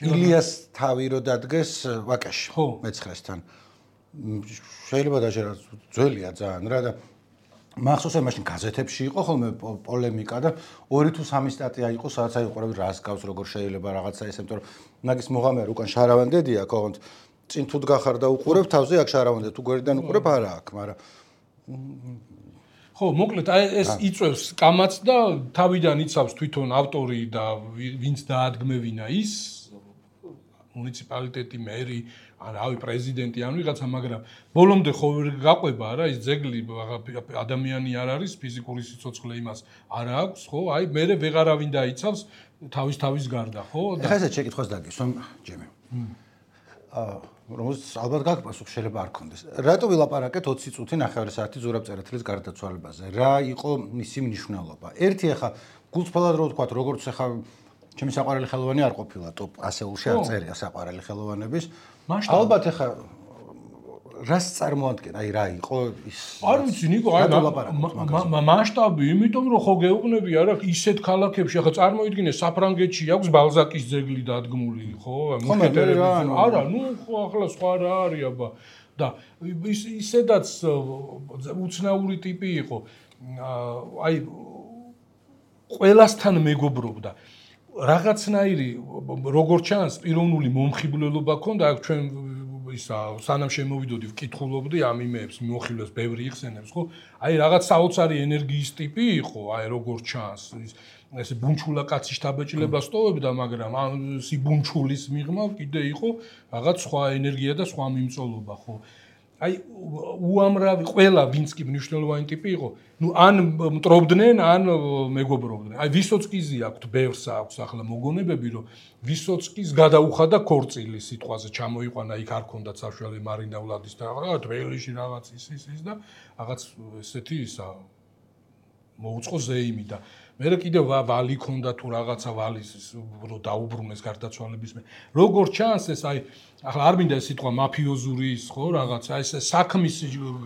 S1: ილიას თავი რო დადგეს ვაკაში მეცხრესთან. შეიძლება დაჟერა ძველია ძალიან რა და მახსოვს მაშინ გაზეთებში იყო ხოლმე პოლემიკა და 2 თუ 3 სტატია იყო სადაც აი უყურები რას გავს როგორ შეიძლება რაღაცა ესე იმიტომ რომ მაგის მოღამე უკან შარავანდედია კოგონთ წინ თუ დგახარ და უყურებ თავზე აქ შარავანდე თუ გვერდიდან უყურებ არა აქ მაგრამ
S2: ხო მოკლედ აი ეს იწევს კამაც და თავიდან იცავს თვითონ ავტორი და ვინც დაადგმევინა ის მუნიციპალიტეტი მერი ან რავი პრეზიდენტი ან ვიღაცა მაგრამ ბოლომდე ხო ვერ გაყვება რა ის ძეგლი ადამიანი არ არის ფიზიკური სიცოცხლე იმას არ აქვს ხო აი მე ვეღარავინ დაიცავს თავის გარდა ხო
S1: და ხა ესე შეკითხვას დაგისვამ ჯემი რომელს ალბათ გაგპასუხ შეიძლება არ კონდეს რატო ვილაპარაკეთ 20 წუთი 9 საათი ზურაბ წერეთლის გარდაცვალებაზე რა იყო მისი მნიშვნელობა ერთი ახლა გულწრფელად რო ვთქვა როგორც ახლა ჩემი საყვარელი ხელოვანი არ ყოფილა ტოპ ასეულში არ წერია საყვარელი ხელოვანების ალბათ ახლა რას წარმოადგენს აი რა იყო ის
S2: არ ვიცი ნიკო აი მასშტაბი იმიტომ რომ ხო გეუბნები არა ისეთ ქალაქებში ახლა წარმოიდგინე საფრანგეთში აქვს ბალზაკის ძეგლი დადგმული ხო არა ნუ ხო ახლა სხვა რა არის აბა და ისედაც უცნაური ტიპი იყო აი ყველასთან მეგობრობდა რაღაცნაირი როგორ ჩანს პიროვნული მომხიბვლელობა ქონდა აქ ჩვენ ისა სანამ შემოვიდოდი ვკითხულობდი ამ იმეებს მიმოხილვებს ბევრი იხსენებს ხო აი რაღაც საოცარი ენერგიის ტიპი იყო აი როგორ ჩანს ესე ბუნჩულა კაცი შთაბეჭდილება სტოვებდა მაგრამ ამ სიბუნჩულის მიღმა კიდე იყო რაღაც სხვა ენერგია და სხვა მიმწოლობა ხო აი უამრავი ყველა ვინც კი მნიშვნელოვანი ტიპი იყო ნუ ან მტრობდნენ ან მეგობრობდნენ აი ვისოცკიზე აქვს ბევრს აქვს ახლა მოგონებები რომ ვისოცკის გადაუხადა ქორწილი სიტყვაზე ჩამოიყვანა იქ არ ქონდა საშუალო მარინა ვლადის და რაღაც თბელიში რაღაც ის და რაღაც ესეთი ისა მოუწყო ზეიმი და მე კიდე ვალი ქონდა თუ რაღაცა ვალის რო დაუბრუნეს გარდაცვალების მე როგორ ჩანს ეს აი ახლა არ მინდა ეს სიტყვა მაფიოზური ის ხო რაღაცა ეს საქმის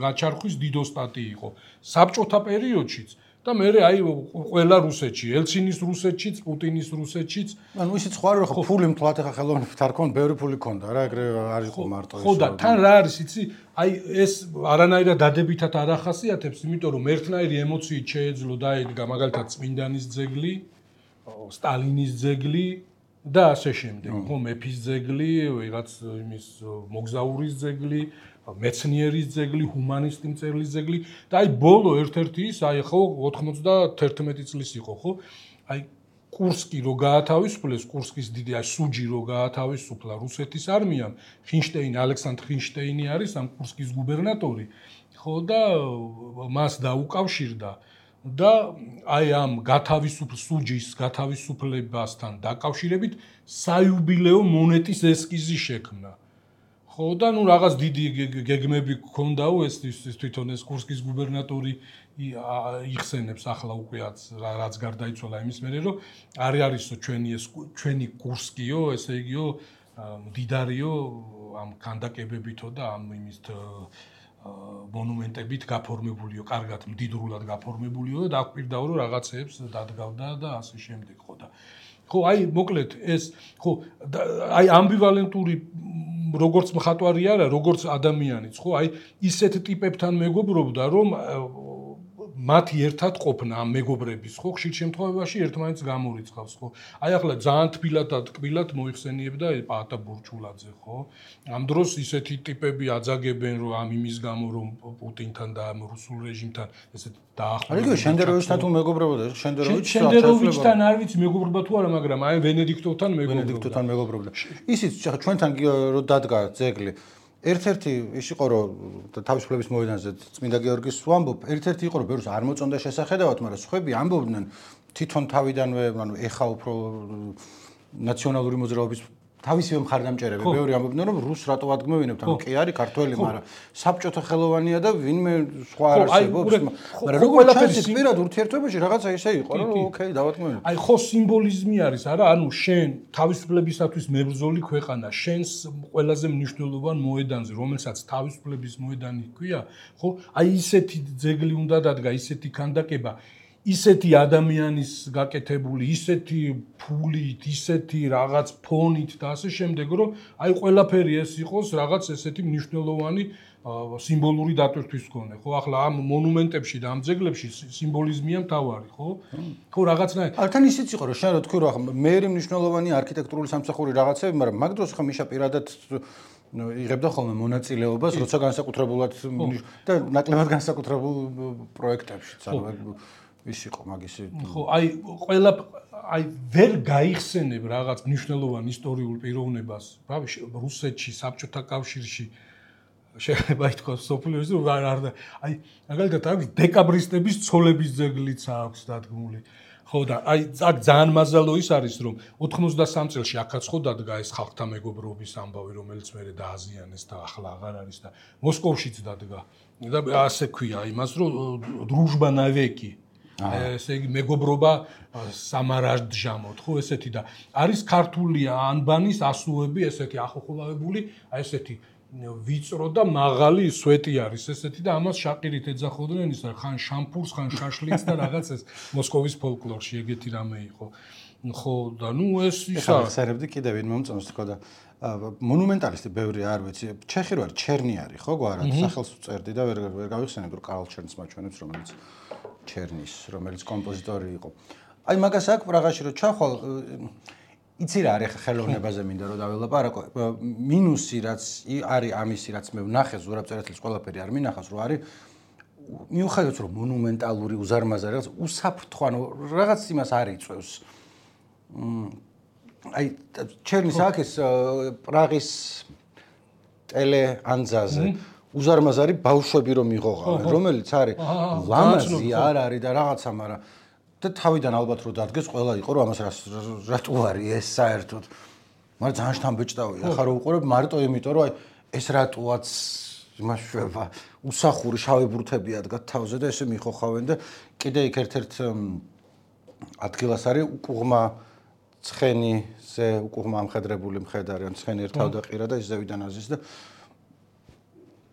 S2: გაჩარხვის დიდოსტატი იყო საბჭოთა პერიოდშიც და მე აი ყველა რუსეთში ელცინის რუსეთშიც პუტინის რუსეთშიც
S1: ანუ ისიც ხო არა ხო ფული მთლად ახლა ხელოვნებით არ ქონდა ბევრი ფული ქონდა რა ეგრე არ იყო მარტო
S2: ხო და თან რა არის იცი აი ეს არანაირად დადებითად არ ახასიათებს იმიტომ რომ ერთნაირი ემოციით შეეძლო დაედგა მაგალითად წმინდანის ძეგლი სტალინის ძეგლი და ასე შემდეგ ხო მეფის ძეგლი ვიღაც იმის მოგზაურის ძეგლი მეცნიერის ძეგლი ჰუმანისტი მწერლის ძეგლი და აი ბოლო ერთ-ერთი ის აი ხო 91 წლის იყო ხო აი კურსკი რო გაათავისუფლეს კურსკის დიდი აი სუჯი რო გაათავისუფლა რუსეთის არმიამ ხინშტეინი ალექსანდრ ხინშტეინი არის ამ კურსკის გუბერნატორი ხო და მას დაუკავშირდა და აი ამ სუჯის გათავისუფლებასთან დაკავშირებით საიუბილეო მონეტის ესკიზი შექმნა ხო და ნუ რაღაც დიდი გეგმები გქონდაო ეს თვითონ ეს კურსკის გუბერნატორი იხსენებს ახლა უკეაც რაც გარდაიცვალა იმის მერე რომ არისო ჩვენი კურსკიო ესე იგიო მდიდარიო ამ ქანდაკებებითო და ამ იმის მონუმენტებით გაფორმებულიო, კარგად მდიდრულად გაფორმებულიო და დაგვირდაო რომ რაღაცეებს დადგავდა და ასე შემდეგ ხო და ხო აი მოკლედ ეს ხო აი ამბივალენტური როგორც მხატვარი არა, როგორც ადამიანიც ხო აი ისეთ ტიპებთან მეგობრობდა რომ მათი ერთად ყოფნა ამ მეგობრების ხო ხშირ შემთხვევაში ერთმანეთს გამორიცხავს ხო აი ახლა ძალიან თბილად და ტკბილად მოიხსენიებდა პაატა ბურჩულაძე ხო ამ დროს ისეთი ტიპები აძაგებენ რომ ამ იმის გამო რომ პუტინთან და ამ რუსულ რეჟიმთან ესეთ დაახლოებით
S1: აი შენდეროვიჩთან თუ მეგობრობა და
S2: შენდეროვიჩთან არ ვიცი მეგობრობა თუ არა მაგრამ აი ვენედიქტოვთან
S1: მეგობრობდა ისიც ჩვენთან რო დადგა ძეგლი ერთ-ერთი ის იყო რომ თავისუფლების მოედანზე წმინდა გიორგის ვამბობ ერთ-ერთი იყო რომ ბევრს არ მოწონდა შესახედავად მაგრამ სხვები ამბობდნენ თვითონ თავიდანვე ანუ ეხა უფრო ნაციონალური მოძრაობის თავისივე მხარდამჭერები ბევრი ამბობდნენ რომ რუს რატო ადგმევინებთ ანუ კი არის ქართველი მაგრამ საბჭოთა ხელოვანია და ვინმე სხვა არ არსებობს მაგრამ როგორ ჩანს პირად ურთიერთობაში რაღაცა ისე იყო რომ ოკეი დავადგმევინებ
S2: აი ხო სიმბოლიზმი არის არა ანუ შენ თავისუფლებისათვის მებრძოლი ქვეყანა შენს ყველაზე მნიშვნელოვან მოედანზე რომელსაც თავისუფლების მოედანი ჰქვია ხო აი ისეთი ძეგლი უნდა დადგა ისეთი ქანდაკება ისეთი ადამიანის გაკეთებული, ისეთი ფულით, ისეთი რაღაც ფონით და ასე შემდეგ, რომ აი ყველაფერი ეს იყოს რაღაც ესეთი მნიშვნელოვანი სიმბოლური დატვირთვის მქონე, ხო? ახლა ამ მონუმენტებში და ამ ძეგლებში სიმბოლიზმია მთავარი, ხო? ხო, რაღაცნაირად.
S1: ართან ისიც იყო, რომ შენ რო თქვი, რომ ახლა მეერი მნიშვნელოვანი არქიტექტურული სამსახური რაღაცები, მაგრამ მაგ დროს ხა მიშა პირადად იღებდა ხოლმე მონაწილეობას, როცა განსაკუთრებულად და ნაკლებად განსაკუთრებულ პროექტებშიც, ანუ ის იყო მაგისი
S2: ხო აი ყველა აი ვერ გაიხსენებ რაღაც მნიშვნელოვან ისტორიულ პიროვნებას რავი რუსეთში საბჭოთა კავშირში შეიძლება ითქვას სოფლიოში რომ არ აი მაგალითად აქვს დეკაბრისტების ცოლების ძეგლიც აქვს დადგმული ხო და აი აქ ძალიან მაზალო ის არის რომ 93 წელს აქაც ხო დადგა ეს ხალხთა მეგობრობის ამბავი რომელიც მე დააზიანეს და ახლა აღარ არის და მოსკოვშიც დადგა და ასე ქვია იმას რომ დრუჟბა ნავეკი ესე იგი მეგობრობა სამარაჯამოთ ხო ესეთი და არის ქართული ანბანის ასუები ესეთი ახოხოლავებული აი ესეთი ვიწრო და მაღალი სვეტი არის ესეთი და ამას შაყირით ეძახოდნენ ის ხან შამპურს ხან შაშლიც და რაღაც ეს მოსკოვის ფოლკლორში ეგეთი რამე იყო ხო და ნუ ეს ისა
S1: ხსერებდი კიდევ ვინ მომწონს თქო და მონუმენტალისტი ბევრი არ ვიცი ჩეხი რო არის ჩერნიარი ხო გვარად სახელს წერდი და ვერ გავიხსენებ რომ კარლ ჩერნს მაჩვენებს რომელიც ჩერნის რომელიც კომპოზიტორი იყო აი მაგას აქ პრაღაში რო ჩახვალ იცი რა არის ხელოვნებაზე მინდა რომ დაველაპარაკო მინუსი რაც არის ამისი რაც მე ვნახე ზურაბწერეთლის ყველაფერი არ მინახავს რომ არის მიუხედავად რომ მონუმენტალური უზარმაზარი რაღაც უსაფრთხო ანუ რაღაც იმას არ იწევს აი ჩერნის აქ ეს პრაღის ტელეანძაზე უზარმაზარი ბავშვები რომ იღოღავენ რომელიც არის ლამაზი არ არის და რაღაცა მაგრამ და თავიდან ალბათ რო დადგეს ყველა იყო რომ ამას რატო არის ეს საერთოდ მაგრამ ძალიან შთამბეჭდავია ახლა რო უყურებ მარტო იმიტომ რომ აი ეს რატოაც იმას შვება უსახური შავი ბურთები ადგათ თავზე და ესე მიხოხავენ და კიდე იქ ერთ-ერთ ადგილას არის უკუღმა ცხენიზე უკუღმა ამხედრებული მხედარი ან ცხენი ერთავ და ყირა და ის ზევიდან აზის და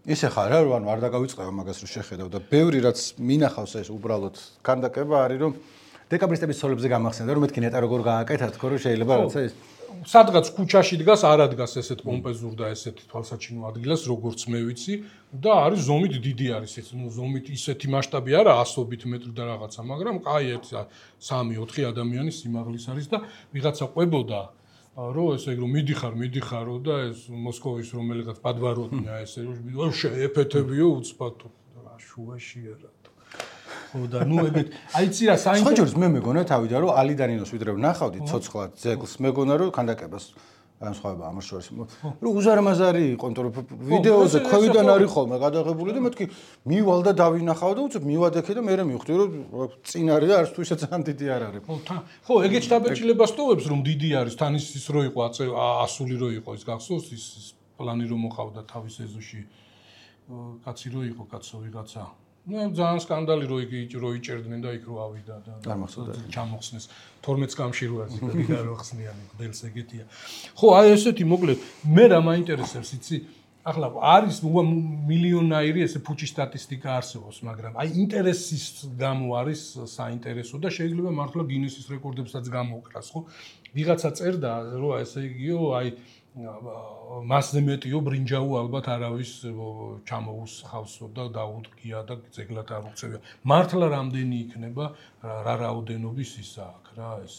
S1: ისე ხარ რა ანუ არ დაგავიწყება მაგას რომ შეხედავ და ბევრი რაც მინახავს ეს უბრალოდ ქანდაკება არის რომ დეკაბრისტების ცოლებზე გამახსენდა რომ მეთქი ნეტა როგორ გააკეთა თქო რომ შეიძლება რაცა ეს
S2: სადღაც ქუჩაში დგას არ ადგას ესეთ პომპეზურ და ესეთ თვალსაჩინო ადგილას როგორც მე ვიცი და არის ზომით დიდი არის ეს ნუ ზომით ისეთი მასშტაბი არა 100 მეტრი და რაღაცა მაგრამ კაი 3-4 ადამიანის სიმაღლის არის და ვიღაცა ყვებოდა რო ესე რომ მიდიხარო და ეს მოსკოვის რომელიღაც პადვაროტია ესე რომ შეეფეთებიო უცბათო რა შუაშია რა ხო და ნუ ეგეთ აიცი რა
S1: საინტერესო მე მეგონა თავიდან რომ ალიდანინოს ვიდრე ვნახავდი ცოცხლად ძეგლს მეგონა რომ ქანდაკებას განსხვავება ამას შორის რომ უზარმაზარი იყო იმიტომ რომ ვიდეოზე ქვევიდან არის ხოლმე გადაღებული და მეთქი მივალ და დავინახავ და უცებ მივადექე და მე მივხვდი რომ წინ არის და არც თუ ისე ძალიან დიდი არ არის
S2: ხო ეგეთ დაბეჭდილებას ტოვებს რომ დიდი არის თან ის რო იყო ასული რო იყო ის გახსოვს ის პლანი რომ მოყავდა თავის ეზოში კაცი რო იყო კაცო ვიღაცა ну ძალიან სკანდალი რო იჭერდნენ და იქ რო ავიდა და ჩამოხსნეს 12 წამში რო არის და რო ხსნიანი გბელს ეგეთია ხო აი ესეთი მოკლედ მე რა მაინტერესებს იცი ახლა არის მილიონაირი ესე ფუჭი სტატისტიკა არსებობს მაგრამ აი ინტერესის გამო არის საინტერესო და შეიძლება მართლა გინესის რეკორდებსაც გამოვკრას ხო ვიღაცა წერდა რომ ესე იგიო აი მასზე მეტიო ბრინჯაო ალბათ არავის ჩამოუსხავსო და დაუდგია და ძეგლად არ უქცევია. მართლა რამდენი იქნება რა რაოდენობის ისა აქ რა ეს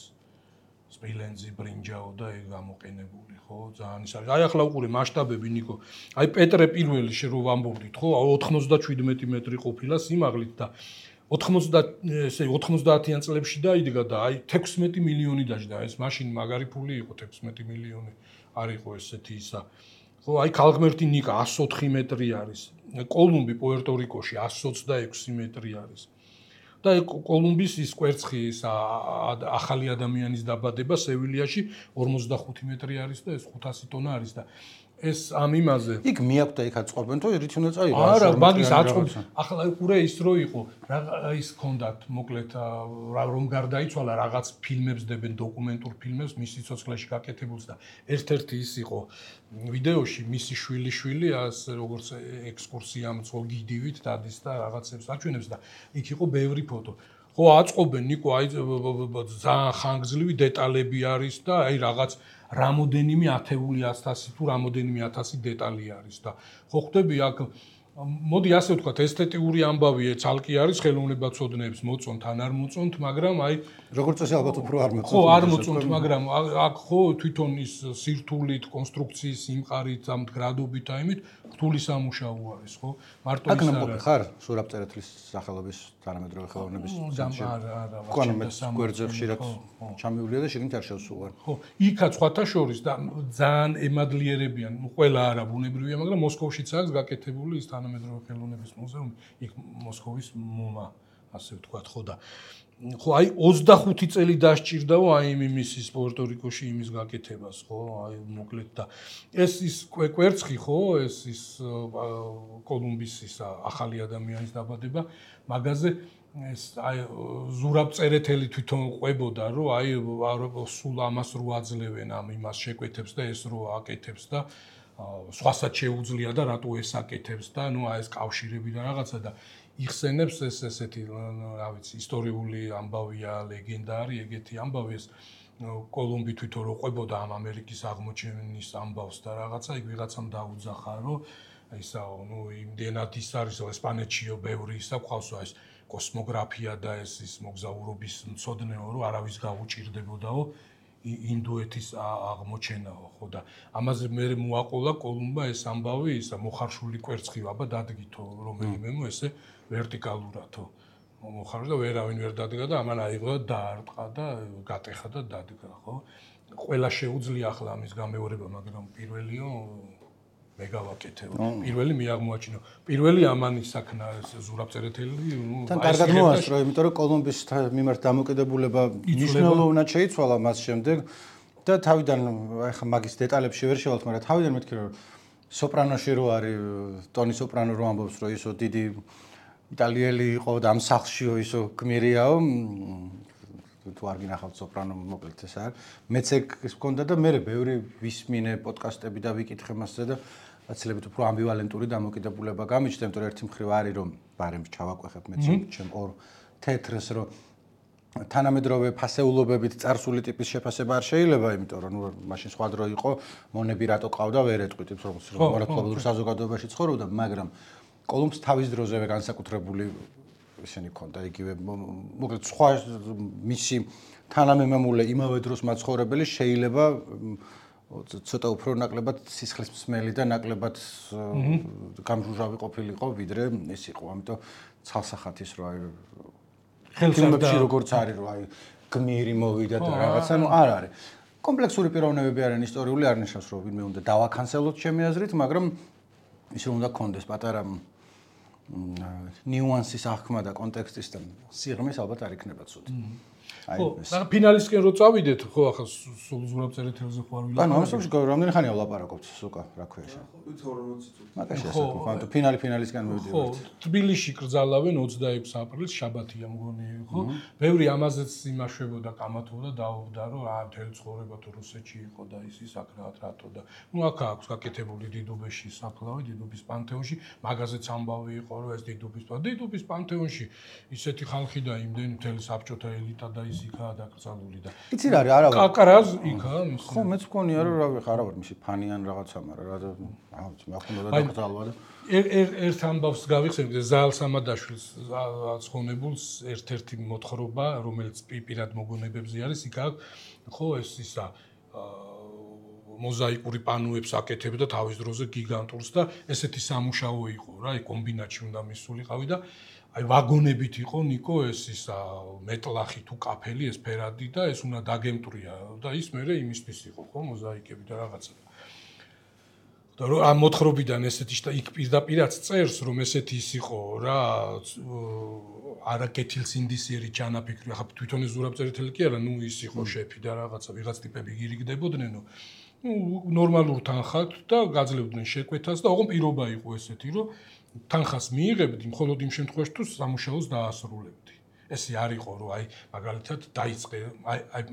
S2: სპილენძი ბრინჯაო და ეგ გამოყენებული ხო ძალიან ის არის. აი ახლა უყურე მასშტაბები ნიკო. აი პეტრე პირველი რო ვამბობდით ხო 97 მეტრი ყოფილა სიმაღლით და 90-იან წლებში დაიდგა და აი 16 მილიონი დაჯდა ეს მაშინ მაგარი ფული იყო 16 მილიონი არ იყო ესეთი ისა ხო აი ქალღმერთი ნიკა 104 მეტრი არის კოლუმბი პუერტო-რიკოში 126 მეტრი არის და კოლუმბის ის კვერცხი ის ახალი ადამიანის დაბადება სევილიაში 45 მეტრი არის და ეს 500 ტონა არის და ეს ამ იმაზე
S1: იქ მიაკვდა იქ აწყობენ თუ რით უნდა წაიღო
S2: არა მაგის აწყობ ახლა უყურე ის რო იყო რა ის კონდაქტ მოკლედ რომ გარდაიცვალა რაღაც ფილმებს დებენ დოკუმენტურ ფილმებს მის სიცოცხლეში გაკეთებულს და ერთ-ერთი ის იყო ვიდეოში მისი შვილი ას როგორც ექსკურსია მწო გიდივით დადის და რაღაცებს აჩვენებს და იქ იყო ბევრი ფოტო ხო აწყობენ ნიკო აი ძალიან ხანგრძლივი დეტალები არის და აი რაღაც რამოდენიმე 1000 თუ რამოდენიმე 1000 დეტალი არის და ხო ხვდები აქ მოდი ასე ვთქვათ ესთეტიური ამბავი ცალკე არის ხელოვნებაცოდნეებს მოწონთ ან არ მოწონთ მაგრამ აი
S1: როგორც წესი ალბათ უფრო არ მოწონთ
S2: ხო არ მოწონთ მაგრამ აქ ხო თვითონ ის სირთულით კონსტრუქციის იმყარით ამ გრადობით აიმით რთული სამუშაო არის ხო მარტო ის
S1: არა ხარ სურაბწერეთლის სახელობის თანამედროვე ხელოვნების ცენტრში
S2: არა
S1: ხო მე გვერდზე ხშირად ჩამივლია და შეგნით არ შევსულვარ
S2: ხო იქაც სხვათა შორის და ძალიან ემადლიერებიან ყველა არა ბუნებრივია მაგრამ მოსკოვშიც აქვს გაკეთებული ის თანამედროვე ხელოვნების მუზეუმი იქ მოსკოვის მომა ასე ვთქვათ ხო და ხო აი 25 წელი დასჭირდაო აი იმის პუერტო-რიკოში იმის გაკეთებას ხო აი მოკლედ და ეს ის კვერცხი ხო ეს ის კოლუმბის ის ახალი ადამიანის დაბადება მაგაზე ეს აი ზურაბწერეთელი თვითონ ყვებოდა რომ აი სულ ამას რო აძლევენ ამ იმას შეკვეთებს და ეს რო აკეთებს და სხვასაც შეუძლია და რატო ეს აკეთებს და ნუ აი ეს კავშირები და რაღაცა და იხსენებს ეს ესეთი რა ვიცი ისტორიული ამბავია ლეგენდა არის ეგეთი ამბავი ეს კოლუმბი თვითონ რო ყვებოდა ამ ამერიკის აღმოჩენის ამბავს და რაღაცა იქ ვიღაცამ დაუძახა რომ ისაო ნუ იმდენად ის არის ესპანეთშიო ბევრი ისა ყავსო ეს კოსმოგრაფია და ეს მოგზაურობის მცოდნეო რომ არავის გაუჭირდებოდაო ინდოეთის აღმოჩენაო ხო და ამაზე მე მოაყოლა კოლუმბა ეს ამბავი ისა მოხარშული კვერცხი აბა დადგითო რომელიმემო ესე ვერტიკალურათო მოხარშ და ვერავინ ვერ დადგა და ამან აიღო და დაარტყა და გატეხა და დადგა ხო ყველა შეუძლია ახლა ამის გამეორება მაგრამ პირველიო მე გავაკეთე პირველი მე აღმოაჩინო პირველი ამანი საქმე ზურაბწერეთელი
S1: თან კარგად მოასწრო იმიტომ რომ კოლუმბის მიმართ დამოკიდებულება მნიშვნელოვნად შეიცვალა მას შემდეგ და თავიდან ახლა მაგის დეტალებში ვერ შევალთ მაგრამ თავიდან მეთქი რომ სოპრანოში რო არის ტონი სოპრანო რო ამბობს რომ ისო დიდი იტალიელი იყო და ამ სახლშიო ისო გმირიაო თუ არ გინახავთ სოპრანო მოკლედ ეს არის მეც ეგ გქონდა და მე ბევრი ვისმინე პოდკასტები და ვიკითხე მასზე და აცილებით უფრო ამბივალენტური დამოკიდებულება გამიჩნდა იმიტომ რომ ერთი მხრივ არის რომ ბარემს ჩავაკვეხებ მეც ჩემ ორ თეთრს რომ თანამედროვე ფასეულობებით წარსული ტიპის შეფასება არ შეიძლება იმიტომ რომ ნუ მაშინ სხვა დრო იყო მონები რატო ყავდა ვერ ეტყვით რომ მორთულობურ საზოგადოებაში ცხოვრობდა მაგრამ კოლუმბს თავის დროზევე განსაკუთრებული ისინი ქონდა იგივე მოკლედ სხვა მისი თანამემამულე იმავე დროს მაცხოვრებელი შეიძლება ცოტა უფრო ნაკლებად სისხლისმსმელი და ნაკლებად გამჟუჟავი ყოფილიყო ვიდრე ეს იყო ამიტომ ცალსახათის რო აი ფილმებში როგორც არის რომ აი გმირი მოვიდა და რაღაცა ნუ არ არის კომპლექსური პიროვნებები არიან ისტორიული არ ნიშნავს რომ ვინმე უნდა დავაკანსელოთ ჩემი აზრით მაგრამ ის რომ უნდა კონდეს პატარა ნიუანსის აღქმა და კონტექსტის და სიღრმის ალბათ არ იქნება ცუდი.
S2: ხო, მაგრამ ფინალისკენ რო წავიდეთ, ხო, ახლა სულ ზურაბწერეთელზე ხო არ ვილაპარაკობთ.
S1: ანუ ამასობაში რამდენი ხანია ვლაპარაკობთ სუკა, რა ქვია შენ?
S3: 40 წუთი.
S1: მაგაში ასე ხო, ანუ ფინალისკენ მივიდივართ.
S2: ხო, თბილისში კრძალავენ 26 აპრილს შაბათია მგონი, ხო? ბევრი ამაზეც იმაშვებოდა, კამათობდა, დაობდა, რომ მთელი ცხოვრება თუ რუსეთში იყო და ის აქ რატო და ნუ აქ აქვს გაკეთებული დიდუბეში საფლავი, დიდუბის პანთეონში, მაგაზეც ამბავი იყო, რომ ეს დიდუბის პანთეონში ისეთი ხალხი და იმდენი მთელი საბჭოთა ელიტა და ის იქაა დაკრძალული და
S1: იცი რა არა
S2: კაკრაზ იქაა მის
S1: ხო მეც მგონია რომ რა ვიხარ არა ვარ მისი ფანი ან რაღაცა მაგრამ რა მე ახლა და დაკრძალვა და
S2: ერთ ამბავს გავიხსენებ ზაალ სამადაშვილს ცხონებულს ერთ-ერთი მოთხრობა რომელიც პირად მოგონებებზე არის იქ ხო ეს ისა მოზაიკური პანოებს აკეთებდა თავის დროზე გიგანტურს და ესეთი სამუშაო იყო რა აი კომბინატში უნდა მისულიყავი და აი ვაგონებით იყო ნიკო ეს ისა მეტლახი თუ კაფელი ეს ფერადი და ეს უნდა დაგემტრია და ის მერე იმისთვის იყო ხო მოზაიკები და რაღაცა და რომ ამ მოთხრობიდან ესეთი და იქ პირდაპირაც წერს რომ ესეთი ის იყო რა არაკეთილსინდისიერი ჩანაფიქრი ახლა თვითონ ეს ზურაბწერეთელი კი არა ნუ ის იყო შეფი და რაღაცა ვიღაც ტიპები გირიგდებოდნენ ნორმალურ თანხად და გაძლევდნენ შეკვეთას და ოღონდ პირობა იყო ესეთი რომ თანხას მიიღებდი მხოლოდ იმ შემთხვევაში თუ სამუშაოს დაასრულებდი ესე არ იყო რომ აი მაგალითად დაიწყე აი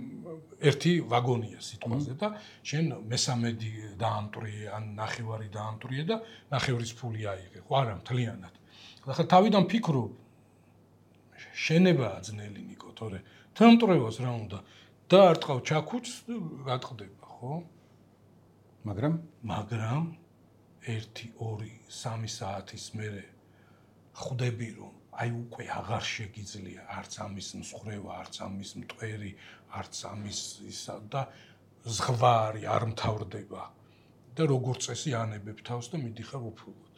S2: ერთი ვაგონია სიტყვაზე და შენ მესამედი დაამტრიე ან ნახევარი დაამტრიე და ნახევრის ფული აიღე ხო არა მთლიანად ახლა თავიდან ფიქრობ შენება ძნელი ნიკო თორე თემტრევას რა უნდა და არ ტყავ ჩაქუჩს გატყდება ხო
S1: მაგრამ
S2: 1 2 3 საათის მერე ხვდები რომ აი უკვე აღარ შეგიძლია არც ამის მსხრევა არც ამის მტვერი არც ამის ისა და ზღვარი არ მთავრდება და როგორც წესი ანებებ თავს და მიდიხარ უფლოდ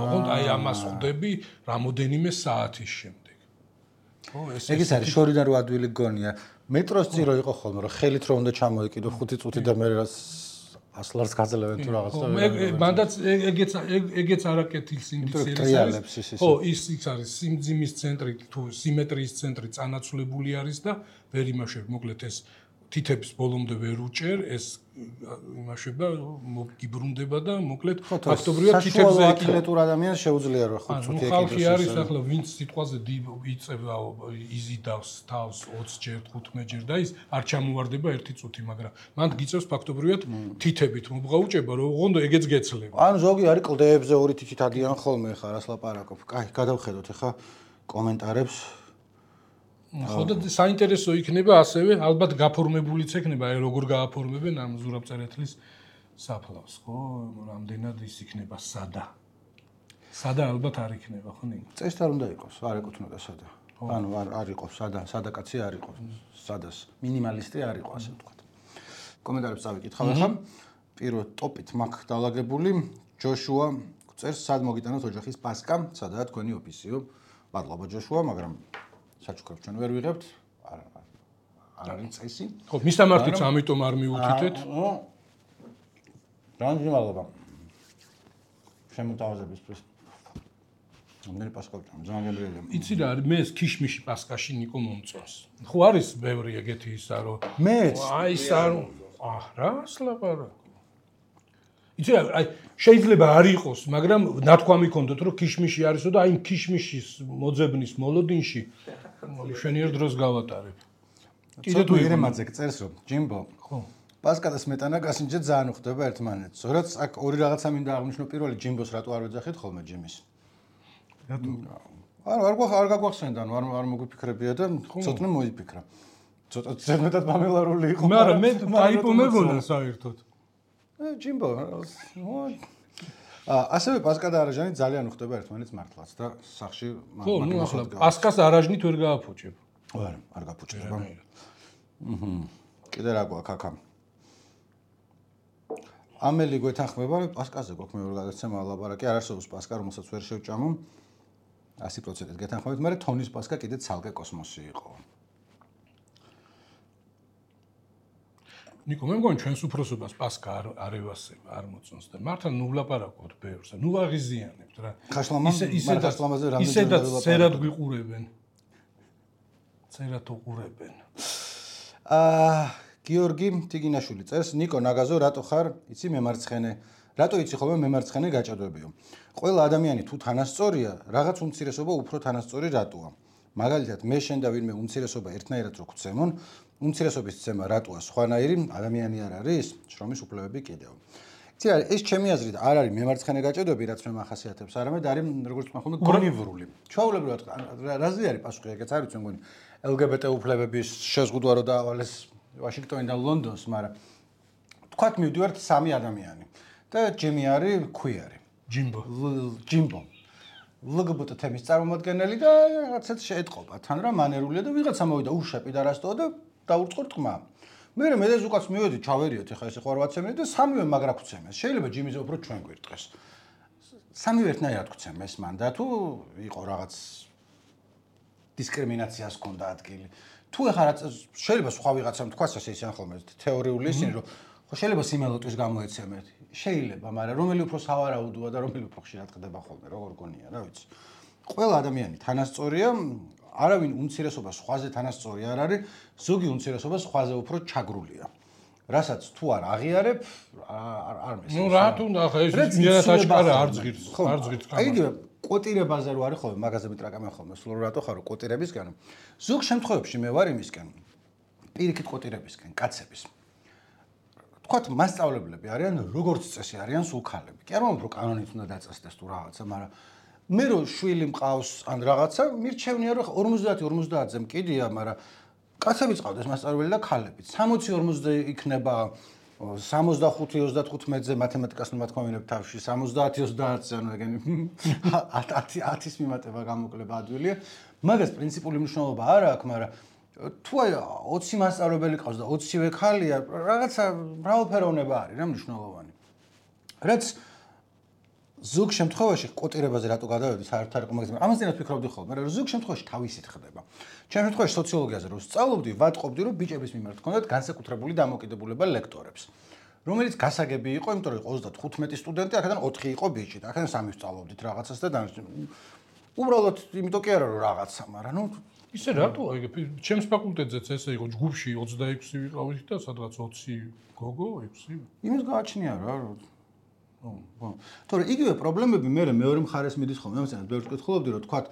S2: ოღონდ აი ამას ხვდები რამოდენიმე საათის შემდეგ ხო
S1: ეგ ის არის შორიდან რო ადვილი გონია მეტროს წირო იყო ხოლმე რომ ხელით რო უნდა ჩამოიკიდო 5 წუთი და მე რას 100 ლარს გაძლევენ თუ რაღაც და
S2: მანდაც ეგეც არაკეთილ სინდიციერის არის ხო ის არის სიმძიმის ცენტრი თუ სიმეტრიის ცენტრი წანაცვლებული არის და ვერ იმაშებ მოკლედ ეს თითებს ბოლომდე ვერ უჭერ ეს იმაშება მოგიბრუნდება და მოკლედ ფაქტობრივად თითებზე
S1: აკილეტურ ადამიანს შეუძლია რომ 5 წუთი ეკიდოს
S2: ხალხი არის ახლა ვინც სიტყვაზე იწევა იზიდავს თავს 20 ჯერ 15 ჯერ და ის არ ჩამოვარდება 1 წუთი მაგრამ მან გიწევს ფაქტობრივად თითებით მობღაუჭება რომ ოღონდ ეგეც გეცლება
S1: ანუ ზოგი არის კლდეებზე 2 თითით ადიან ხოლმე ხარ რას ლაპარაკობ კაი გადავხედოთ ახლა კომენტარებს
S2: ხო და საინტერესო იქნება ასევე ალბათ გაფორმებულიც ექნება აი როგორ გააფორმებენ ამ ზურაბწერეთლის საფლავს ხო რამდენად ის იქნება სადა ალბათ არ იქნება ხო ნინო
S1: წესით არ უნდა იყოს არ ეკუთვნოდა სადა ანუ არ იყოს სადა კაცი არ იყოს სადას მინიმალისტი არ იყოს ასე ვთქვათ კომენტარებს წავიკითხავ ახლა პირველ ტოპით მაგ დალაგებული ჯოშუა წერს სად მოგიტანოთ ოჯახის პასკა სადაა თქვენი ოფისიო მადლობა ჯოშუა მაგრამ საჩუქრებს ჩვენ ვერ ვიღებთ არ არის წესი
S2: ხო მისამართიც ამიტომ არ მიუთითეთ
S1: რანჯი მადლობა შემოთავაზებისთვის ამდენი პასკა ძალიან გემრიელია
S2: იცი რა არის მე ეს ქიშმიში პასკაში ნიკო მომწონს ხო არის ბევრი ეგეთი ისა რომ
S1: მეც
S2: აი ის არ რა სლაპარაკო იცი რა აი შეიძლება არ იყოს მაგრამ ნათქვამი ქონდოთ რომ ქიშმიში არისო და აი ქიშმიშის მოძებნის მოლოდინში შენიერ დროს გავატარებ.
S1: კიდე თუ ერემაძე წერს რომ ჯიმბო.
S2: ხო.
S1: პასკა და სმეტანა გასინჯე ძალიან უხდება ერთმანეთს. ზოგადად აქ ორი რაღაცა მინდა აღნიშნო პირველი ჯიმბოს რატო არ ვეძახით ხოლმე ჯიმის.
S2: რატო?
S1: არ გაგვახსენდა, არ მოგვიფიქრებია და ცოტნე მოიფიქრა. ცოტა ზედმეტად მამელარული იყო.
S2: მაგრამ მე ტაიპო მეგონა საერთოდ.
S1: ჯიმბო. ასევე პასკა და არაჟანი ძალიან უხდება ერთმანეთს მართლაც და სახში
S2: ხო, ნუ ახლა პასკას არაჟნით ვერ გააფუჭებ.
S1: არ გაფუჭდება. კიდე რა გვაქვს აქ? ამელი გვეთანხმება პასკაზე გვაქვს მეორე გადაცემა ლაპარაკი არ არსებობს პასკა რომელსაც ვერ შევჭამო 100%-ით გეთანხმებით, მაგრამ თონის პასკა კიდე ცალკე კოსმოსი იყო.
S2: ნიკო, მე მგონი ჩვენს უფროსობას პასკა არ ევასება, არ მოწონს და მართლა ნუ ვლაპარაკობთ ბევრს, ნუ აღიზიანებთ რა.
S1: ხაშლამაზე რამდენჯერ
S2: ისედაც ცერად გვიყურებენ. ცერად უყურებენ.
S1: გიორგი თიგინაშვილი წერს, ნიკო ნაგაზო, რატო ხარ? იცი მემარცხენე. რატო იცი ხოლმე მემარცხენე გაჭადვებიო? ყველა ადამიანი თუ თანასწორია, რაღაც უმცირესობა უფრო თანასწორი რატოა? მაგალითად, მე შენ და ვინმე უმცირესობა ერთნაირად რო გვცემონ, უმცირესობის ცემა რატოა სხვანაირი ადამიანი არ არის? შრომის უფლებები კიდევ. ცირა ეს ჩემი აზრით არ არის მემარცხენე გაჭედები, რაც მე მახასიათებს, არამედ არის როგორც მახონდა გონივრული. ჩვეულებრივად რაზე არის პასუხი, ეგეც არ ვიცი, მგონი LGBT უფლებების შეზღუდვა რო დაავალეს ვაშინგტონიდან ლონდონს, მაგრამ თქვათ მივდივართ 3 ადამიანი და ჯიმი არის ქვიარი. ჯიმბო. LGBT თემის წარმომადგენელი და რაღაცაც შეეთყობა თან რა მანერულია და ვიღაცა მოვიდა უშაპი და რასტო და დაურწყო თქმა. მე მედეს უკაც მივედი ჩავერიოთ ეხა ეს ხო 8 წელი და სამივე მაგრა გვცემეს. შეიძლება ჯიმიზე უფრო ჩვენ გვირტყეს. სამივე ერთნაირად გვცემეს მან და თუ იყო რაღაც დისკრიმინაციას ჰქონდა ადგილი. თუ ეხა რაც შეიძლება სხვა ვიღაცამ თქვას ასე ისე ხოლმე თეორიული ისინი რომ ხო შეიძლება სიმელოტვის გამოეცემეთ. შეიძლება, მაგრამ რომელი უფრო სავარაუდოა და რომელი უფრო ხშირად ხდება ხოლმე, როგორ გონია, რა ვიცი. ყველა ადამიანი თანასწორია, არავინ უმცირესობა სხვაზე თანასწორი არ არის, ზოგი უმცირესობა სხვაზე უფრო ჩაგრულია. რასაც თუ არ აღიარებ, არ მესმის.
S2: ნუ რა თუნდა ხა ეს მიანაც აშკარა არ ზღირს, არ ზღირს ხა.
S1: აი იგივე კოტირებაზე რო არის ხოლმე, მაგაზე მიტრაკამე ხოლმე, სულ რატო ხარო კოტირებისგან. ზოგ შემთხვევებში მე ვარ იმისკენ, პირიქით კოტირებისკენ, კაცების. თქვათ მასწავლებლები არიან, როგორც წესი არიან სულ ქალები. კი არ მომბრო კანონით უნდა დაწესდეს თუ რაღაცა, მაგრამ მე რო შვილი მყავს ან რაღაცა, მირჩევნია რომ 50-50-ზე მკიდია, მაგრამ კაცებიც ყავდეს მასწავლებელი და ქალებიც. 60-40-ზე იქნება 65-35-ზე მათემატიკას ნათქვამინებ თავში, 70-30-ზე ანუ ეგენი 10-ის მიმატება გამოკლება ადვილია. მაგას პრინციპული მნიშვნელობა არ აქვს, მაგრამ თუ აი 20 მასწავლებელი ყავს და 20-ვე ქალია, რაღაცა მრავალფეროვნება არის რა მნიშვნელოვანი. რაც ზოგ შემთხვევაში კოტირებაზე რატო გადავედი საერთოდ არ იყო მაგაზე, ამასთანავე ვფიქრობდი ხოლმე, მაგრამ ზოგ შემთხვევაში თავისით ხდება. ჩემ შემთხვევაში სოციოლოგიაზე რო სწავლობდი, ვატყობდი, რომ ბიჭების მიმართ ჰქონდათ განსაკუთრებული დამოკიდებულება ლექტორებს, რომელიც გასაგები იყო, იმიტომ რომ 35 სტუდენტი, აქედან 4 იყო ბიჭი, აქედან 3 ვსწავლობდით რაღაცას და უბრალოდ იმიტომ კი არა რომ რაღაცა, მაგრამ ნუ
S2: ისე რატო აი ჩემს ფაკულტეტზეც ესე იყო ჯგუფში 26 ვიყავით და სადღაც 20 გოგო 6
S1: იმის გააჩნია რა თორე იგივე პრობლემები მე მეორე მხარეს მიდის ხოლმე ამასთან ბევრს გკითხულობდი რომ თქვათ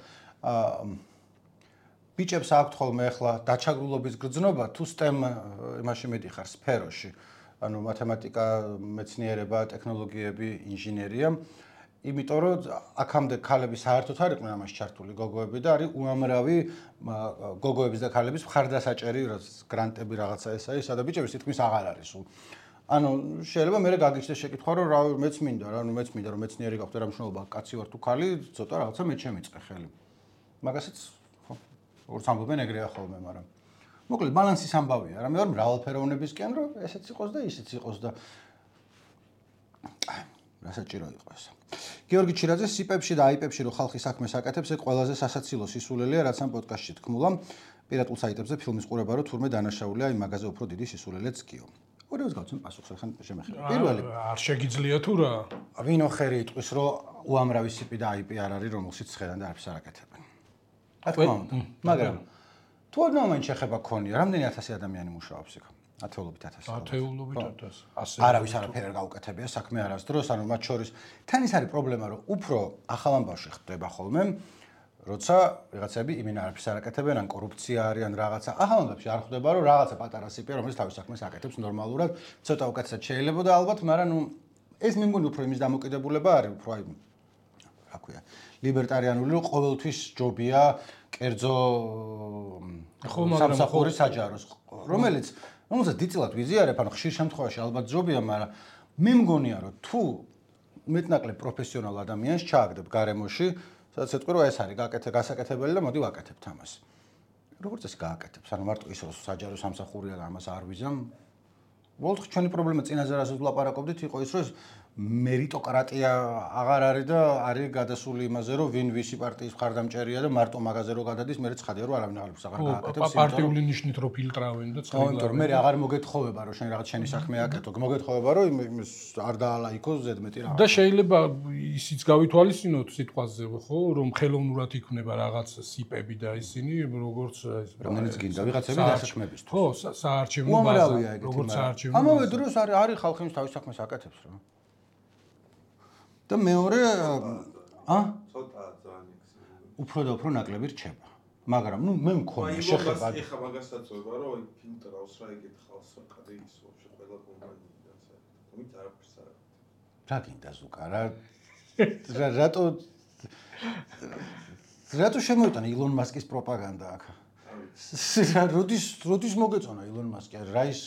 S1: ბიჭებს აქვთ ხოლმე ახლა დაჩაგრულობის გრძნობა თუ STEM იმაში მიდიხარ სფეროში ანუ მათემატიკა მეცნიერება ტექნოლოგიები ინჟინერია იმიტომ რომ აქამდე ქალები საერთოდ არ იყვნენ ამაში ჩართული გოგოები და არის უამრავი გოგოების და ქალების მხარდასაჭერი გრანტები რაღაცა ესა ის და ბიჭების თითქმის აღარ არის სულ ანუ შეიძლება მე გაგიჩნდეს შეკითხვა რომ რა მეც მინდა რა ანუ მეც მინდა რომ მეცნიერი გავხდე რა მნიშვნელობა კაცი ვარ თუ ქალი ცოტა რაღაცა მე შემიწყე ხელი მაგასაც ხო როგორც ამბობენ ეგრეა ხოლმე მაგრამ მოკლედ ბალანსის ამბავია რა მე ვარ მრავალფეროვნებისკენ რომ ესეც იყოს და ისეც იყოს და რასაჭირო იყო ეს გიორგი ჩირაძე სიპებში და აიპებში რო ხალხი საქმეს აკეთებს ეგ ყველაზე სასაცილო სისულელია რაც ამ პოდკასტში თქმულა პირატულ საიტებზე ფილმის ყურება რო თურმე დანაშაულია იმ მაგაზე უფრო დიდი სისულელეც გიო ორევს გავცემ პასუხს ახლა შემეხება პირველი
S2: არ შეგიძლია თუ რა
S1: ვინო ხერი იტყვის რომ უამრავი სიპი და აიპი არ არის რომელშიც ხედან და არაფერს არ აკეთებენ რა თქმა უნდა მაგრამ თუ არ მომენტ შეხება ქონია რამდენი 1000 ადამიანი მუშაობს იქ ათეულობით
S2: 1000
S1: ასე არავის არაფერი არ გაუკეთებია საქმე არასდროს ანუ მათ შორის თან ის არის პრობლემა რომ უფრო ახალ ამბავში ხდება ხოლმე როცა ვიღაცები იმენ არაფერს არ აკეთებენ ან კორუფცია არის ან რაღაცა ახალ ამბავში არ ხდება რომ რაღაცა პატარა სიპი რომელიც თავის საქმეს აკეთებს ნორმალურად ცოტა უკეთესად შეიძლება და ალბათ მაგრამ ნუ ეს მე მგონი უფრო იმის დამოკიდებულება არის უფრო აი რა ქვია ლიბერტარიანული რომ ყოველთვის ჯობია კერძო სამსახური საჯაროს რომელიც რომელსაც დიდწილად ვიზიარებ, ანუ ხშირ შემთხვევაში ალბათ ჯობია, მაგრამ მე მგონია, რომ თუ მეტნაკლებ პროფესიონალ ადამიანს ჩააგდებ გარემოში, სადაც ეთქვი, რომ ეს არის გასაკეთებელი და მოდი ვაკეთებთ ამას. როგორც ეს გააკეთებს? ანუ მარტო ის რომ საჯარო სამსახურია და ამას არ ვიზამ. უბრალოდ ჩვენი პრობლემა წინაზე რასაც ვლაპარაკობდით, იყო ის, რომ მერიტოკრატია აღარ არის და არის გადასული იმაზე, რომ ვინ ვისი პარტიის მხარდამჭერია და მარტო მაგაზე რო გადადის, მე ცხადია რომ არავინ აღარ გააკეთებს.
S2: პარტიული ნიშნით რო ფილტრავენ და
S1: ცხადია. მე აღარ მოგეთხოვება რომ შენ რაღაც შენი საქმე აკეთო. მოგეთხოვება რომ იმის არ დაალაიქოს ზედმეტი რაღაც.
S2: და შეიძლება ისიც გავითვალისწინოთ სიტყვაზე, ხო, რომ ხელოვნურად იქნება რაღაც სიპები და ისინი როგორც
S1: რომელიც გინდა ვიღაცები დასაქმებისთვის.
S2: ხო, საარჩევნო ბაზა, როგორც საარჩევნო.
S1: ამავე დროს არის ხალხი ის თავის საქმეს აკეთებს რა. და მეორე
S3: ცოტა ძალიან
S1: უფრო და უფრო ნაკლები რჩება. მაგრამ ნუ მე მქონია შეხება.
S3: ეხა მაგასაც ვება რომ აი ფილტრავს რა იგეთ ხალხს ხადი ის ვაფშე ყველა კომპანიიდან საერთოდ. თუმცა არაფერს არ
S1: რა გინდა ზუკა რატო შემოიტანა ილონ მასკის პროპაგანდა აქ როდის მოგეწონა ილონ მასკი რა ის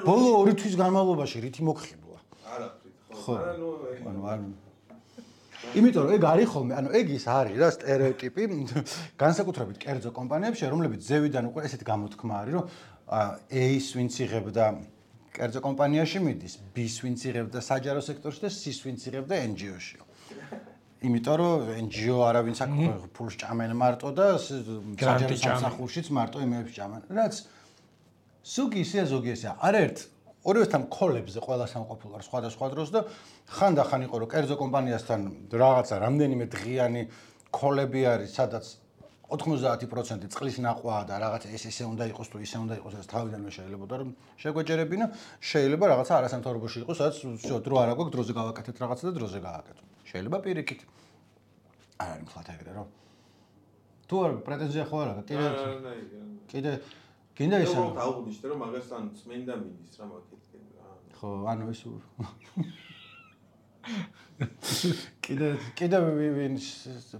S1: ბოლო 2 თვის განმავლობაში რითი მოგხიბლა
S3: ხო
S1: იმიტომ რომ ეგ არის ხოლმე ანუ ეგ ის არის რა სტერეოტიპი განსაკუთრებით კერძო კომპანიებში რომლებიც ზევიდან უკვე ესეთი გამოთქმა არის რომ A-ს ვინც იღებდა კერძო კომპანიაში მიდის B-ს ვინც იღებდა საჯარო სექტორში და C-ს ვინც იღებდა NGO-ში იმიტომ რომ NGO არავინც აქ ფულს ჭამენ მარტო და საჯარო სამსახურშიც მარტო იმებს ჭამენ რაც ზოგი ისეა ზოგი ესეა არაერთ ორივესთან კოლებზე ყველა სამყოფილო არ სხვადასხვა დროს და ხანდახან იყო რომ კერძო კომპანიასთან რაღაცა რამდენიმე დღიანი კოლები არის სადაც 90% წყლის ნაყვაა და რაღაცა ესე უნდა იყოს თუ ისე უნდა იყოს ეს თავიდანვე შეიძლებოდა რომ შეგვეჯერებინა შეიძლება რაღაცა არასამთავრობოში იყოს სადაც დრო არ აქვს დროზე გავაკეთეთ რაღაცა და დროზე გააკეთო შეიძლება პირიქით არ არის მხოლოდ ეგრე რომ თუ არ პრეტენზია ხო არა კიდე გინდა ისე
S3: რომ დაუღნიშნე რომ მაგასთან წმენდა მიდის რა მაგეთკენ რა
S1: ხო ანუ ეს კიდე ვინ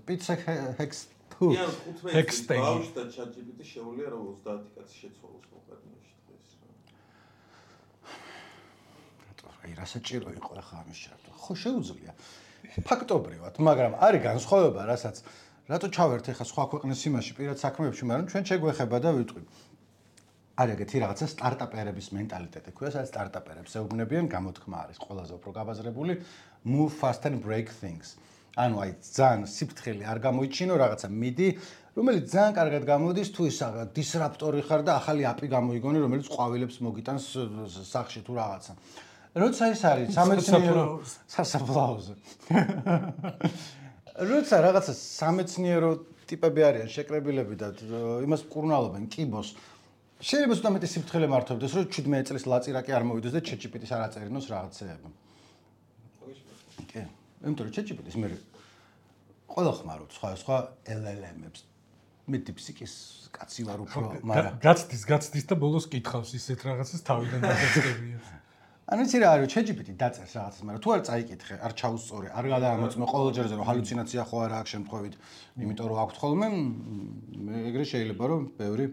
S1: პიცა ჰექს
S3: იან 15 ბავშვი და ChatGPT შეუძლია რომ 30 კაცი შეცვალოს მოყარნაში დღეს
S1: რა აი რა საჭირო იყო ახლა ამის ჩართვა ხო შეუძლია ფაქტობრივად მაგრამ არის განსხვავება რასაც რატო ჩავერთ ახლა სხვა ქვეყნის იმაში პირად საქმეებში მაგრამ ჩვენ შეგვეხება და ვიტყვი არის ეგეთი რაღაცა სტარტაპერების მენტალიტეტი ქვია სადაც სტარტაპერებს ეუბნებიან გამოთქმა არის ყველაზე უფრო გაბაზრებული move fast and break things ანუ აი ძალიან სიფრთხილე არ გამოიჩინო რაღაცა მიდი რომელიც ძალიან კარგად გამოდის თუ ის დისრაპტორი ხარ და ახალი აპი გამოიგონე რომელიც ყვავილებს მოგიტანს სახში თუ რაღაცა როცა ის არის სამეცნიერო სასაფლაოზე როცა რაღაცა სამეცნიერო ტიპები არიან შეკრებილები და იმას მკურნალობენ კიბოს შეიძლება ზუსტად მეტი სიფრთხილე მართობდეს რომ 17 წლის ლაწირაკი არ მოვიდეს და ChatGPT-ს არ აწერინოს რაღაცეები კი იმიტომ რომ ChatGPT-ს მე ყველა ხმარობ სხვა LLM-ებს მე DeepSeek-ის კაცი ვარ უფრო მაგრამ
S2: გაცდის და ბოლოს კითხავს ისეთ რაღაცას თავიდან დაგეწყებია
S1: ანუ იცი რა არის ChatGPT დაწერს რაღაცას მაგრამ თუ არ წაიკითხე არ ჩაუსწორე არ გადაამოწმე ყოველ ჯერზე რომ ჰალუცინაცია ხო არა აქვს შემთხვევით იმიტომ რომ აქვს ხოლმე ეგრე შეიძლება რომ ბევრი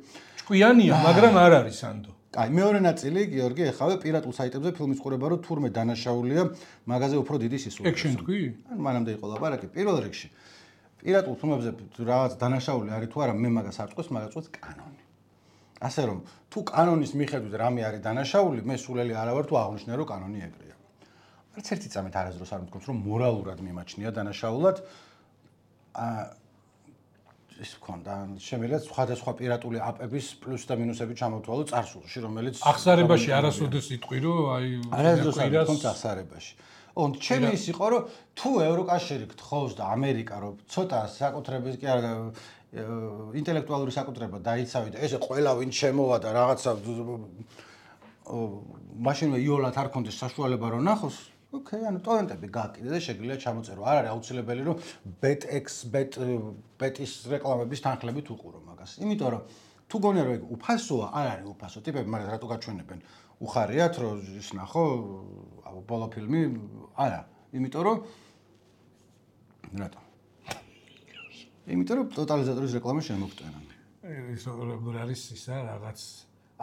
S2: ჭკვიანია მაგრამ არ არის ანდო
S1: აი მეორე ნაწილი გიორგი ეხავე პირატულ საიტებზე ფილმის ყურება რომ თურმე დანაშაულია მაგაზე უფრო დიდი სისულელია
S2: ეგ შენ თქვი
S1: მანამდე იყო ლაპარაკი პირველ რიგში პირატულ ფილმებზე რაღაც დანაშაული არის თუ არა მე მაგას არ წყვეს მაგას წყვეს კანონი ასე რომ თუ კანონის მიხედვით რამე არის დანაშაული მე სულელი არა ვარ თუ აღნიშნე რომ კანონი ეგრეა არც ერთი წამით არასდროს არ მithქვს რომ მორალურად მიმაჩნია დანაშაულად ის ქონდა შემიძლია სხვადასხვა პირატული აპების პლუს და მინუსები ჩამოთვალო წარსულში რომელიც
S2: ახსარებაში არასოდეს იტყვი რომ აი
S1: არასდროს არ თქონდა ახსარებაში ოღონდ ჩემი ის იყო რომ თუ ევროკავშირი გთხოვს და ამერიკა რომ ცოტა საკუთრების კი არა ინტელექტუალური საკუთრება დაიცავი და ესე ყველა ვინ შემოვა და რაღაცა მაშინვე იოლად არ კონდეს საშუალება რომ ნახოს ოკეი ანუ ტორენტები გააკიდე და შეგიძლია ჩამოწერო არ არის აუცილებელი რომ ბეტის რეკლამების თანხლებით უყურო მაგას იმიტომ რომ თუ გონია რომ ეგ უფასოა არ არის უფასო ტიპები მაგრამ რატო გაჩვენებენ უხარიათ რომ ის ნახო ბოლო ფილმი არა იმიტომ რომ რატო იმიტომ რომ ტოტალიზატორის რეკლამა შემოგტენა
S2: ის როგორ არის ისა რაღაც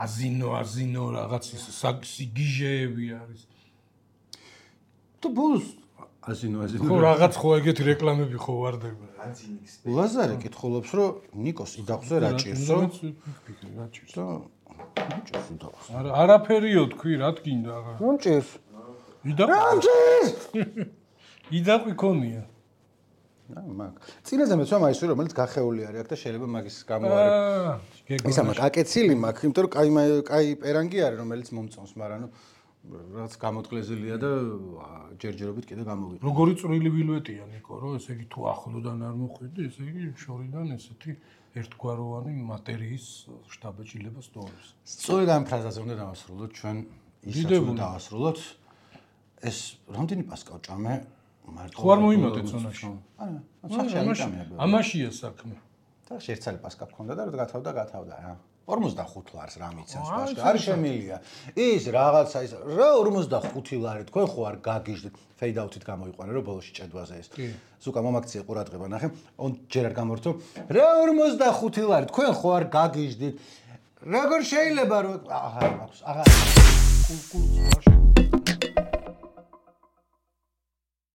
S2: აზინო რაღაც ის სიგიჟეები არის
S1: თუ ბოლოს აზინო
S2: ხო რაღაც ხო ეგეთი რეკლამები ხო ვარდება
S3: აზინიქს
S1: ლაზარე კითხულობს რომ ნიკოს იდახვზე რა ჭირსო
S2: რა ჭირსო
S1: არა
S2: არაფერიო თქვი რა თქინდა
S1: რომ ჭირს
S2: იდაყვი ქონია
S1: მაგ წინაზე მეცვა მაისი რომელიც გახეული არის აქ და შეიძლება მაგის გამო არის ისა მაგ აკეცილი მაგ იმიტომ რომ კაი პერანგი არის რომელიც მომწონს მაგრამ ნუ რაც გამოთგლეზილია და ჯერჯერობით კიდე გამოვიყო
S2: როგორი წვრილი ვილვეტია ნიკო რომ ესე იგი თუ ახლოდან არ მოხვედი ესე იგი შორიდან ესეთი ერთგვაროვანი მატერიის შტაბეჭილება სწორებს
S1: სწორედ ამ ფრაზაზე უნდა დავასრულოთ ჩვენ ისაც უნდა დავასრულოთ ეს რამდენი პასკა ვჭამე მარტო
S2: ხო არ მოიმოდეთ ზონაში
S1: არა ამაშია საქმე
S2: ამაშია საქმე
S1: და შეერცალი პასკა გქონდა და გათავდა რა 45 ლარს რა მიცემს ბაშკა არ შემილია ის რაღაცა ის რა 45 ლარი თქვენ ხო არ გაგიჟდით fade out-ით გამოიყვანე რომ ბოლოში ჭედვაზე ეს ზუკა მომაქციე ყურადღება ნახე ჯერ არ გამორთო რა 45 ლარი თქვენ ხო არ გაგიჟდით როგორ შეიძლება რომ აღარ მაქვს აღარ კულკულს ვაშე